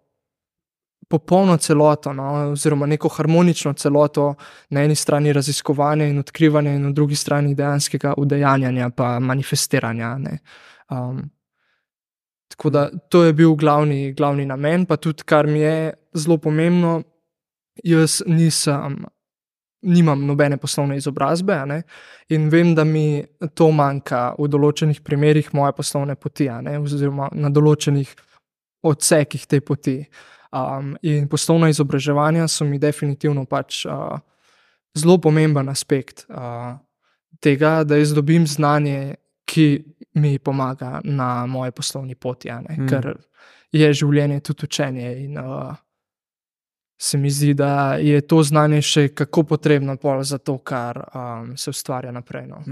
popolno celoto, oziroma neko harmonično celoto, na eni strani raziskovanja in odkrivanja in na drugi strani dejanskega udejanjanja pa manifestiranja. Tako da to je bil glavni namen, pa tudi, kar mi je zelo pomembno, jaz nimam nobene poslovne izobrazbe, in vem, da mi to manjka v določenih primerih moje poslovne poti, oziroma na določenih odsekih te poti. In poslovna izobraževanja so mi definitivno pač zelo pomemben aspekt tega, da jaz dobim znanje, ki mi pomaga na moji poslovni poti. Ker je življenje tudi učenje in se mi zdi, da je to znanje še kako potrebno pol za to, kar se ustvarja naprej. No.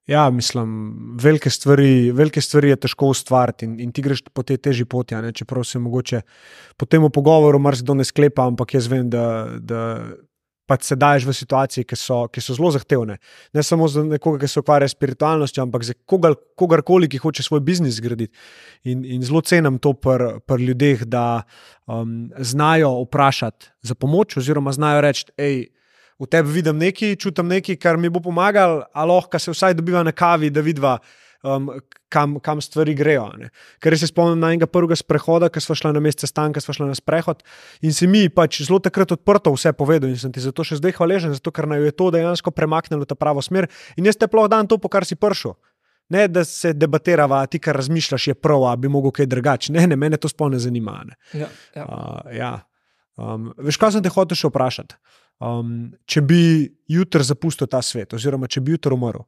Ja, mislim, velike stvari je težko ustvariti in ti greš po tej težji poti, a ne, čeprav se mogoče po tem pogovoru marsikdo ne sklepa, ampak jaz vem, da pač se daješ v situacije, ki so zelo zahtevne. Ne samo za nekoga, ki se ukvarja s spiritualnostjo, ampak za kogarkoli, ki hoče svoj biznis zgraditi. In zelo cenim to pri ljudeh, da znajo vprašati za pomoč oziroma znajo reči, v tebi vidim nekaj, čutim nekaj, kar mi bo pomagalo, a lahko se vsaj dobiva na kavi, da vidiva, kam stvari grejo. Ne. Ker se spomnim na enega prvega sprehoda, ko sva šla na mesec sestanka, sva šla na sprehod in si mi pač zelo takrat odprto vse povedal in sem ti zato še zdaj hvaležen, zato ker naj je to dejansko premaknilo ta pravo smer in jaz te ploh dan to, po kar si prišel. Ne, da se debatirava, ti, kar razmišljaš, je prav, a bi mogel kaj drugače. Ne, mene to sploh ne zanima. Ne. Ja. Veš, kaj sem te hotel še vprašati? Če bi jutri zapustil ta svet, oziroma če bi jutri umrl,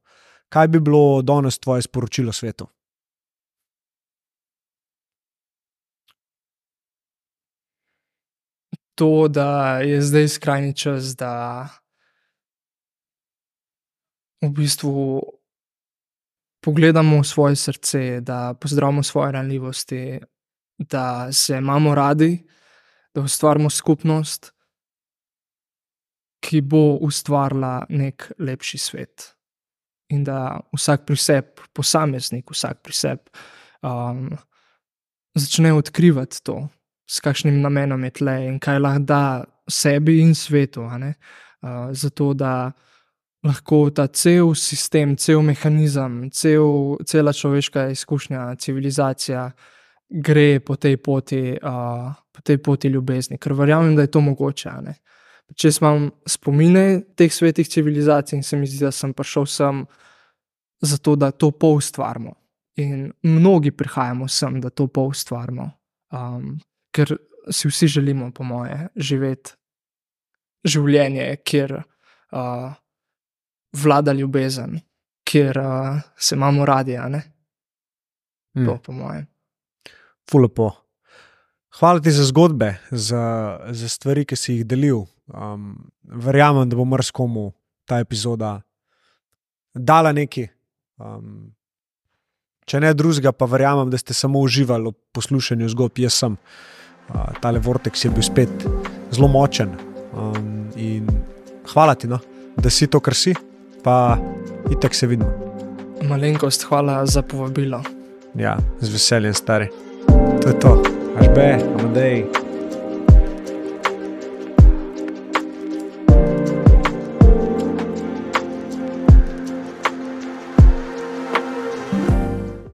kaj bi bilo danes tvoje sporočilo svetu? To, da je zdaj skrajni čas, da v bistvu pogledamo v svoje srce, da pozdravimo svoje ranljivosti, da se imamo radi, da ustvarimo skupnost, ki bo ustvarila nek lepši svet. In da vsak pri sebi, posameznik, vsak pri sebi začne odkrivati to, s kakšnim namenom je tle in kaj lahko da sebi in svetu. Zato, da lahko ta cel sistem, cel mehanizem, cela človeška izkušnja, civilizacija gre po tej poti ljubezni. Ker verjamem, da je to mogoče. Če imam spomine teh svetih civilizacij in se mi zdi, da sem prišel sem zato, da to poustvarimo. In mnogi prihajamo sem, da to poustvarimo. Ker si vsi želimo, po moje, živeti življenje, kjer vlada ljubezen, kjer se imamo radi, a ne? To, po moje. Ful lepo. Hvala ti za zgodbe, za stvari, ki si jih delil. Verjamem, da bo marsikomu ta epizoda dala nekaj. Če ne drugega, pa verjamem, da ste samo uživali v poslušanju zgodb. Jaz sem. Tale vortex je bil spet zelo močen. In hvala ti, da si to, kar si, pa itak se vidimo. Malenkost, hvala za povabilo. Ja, z veseljem, stari. To je to. Aș be, Amadei.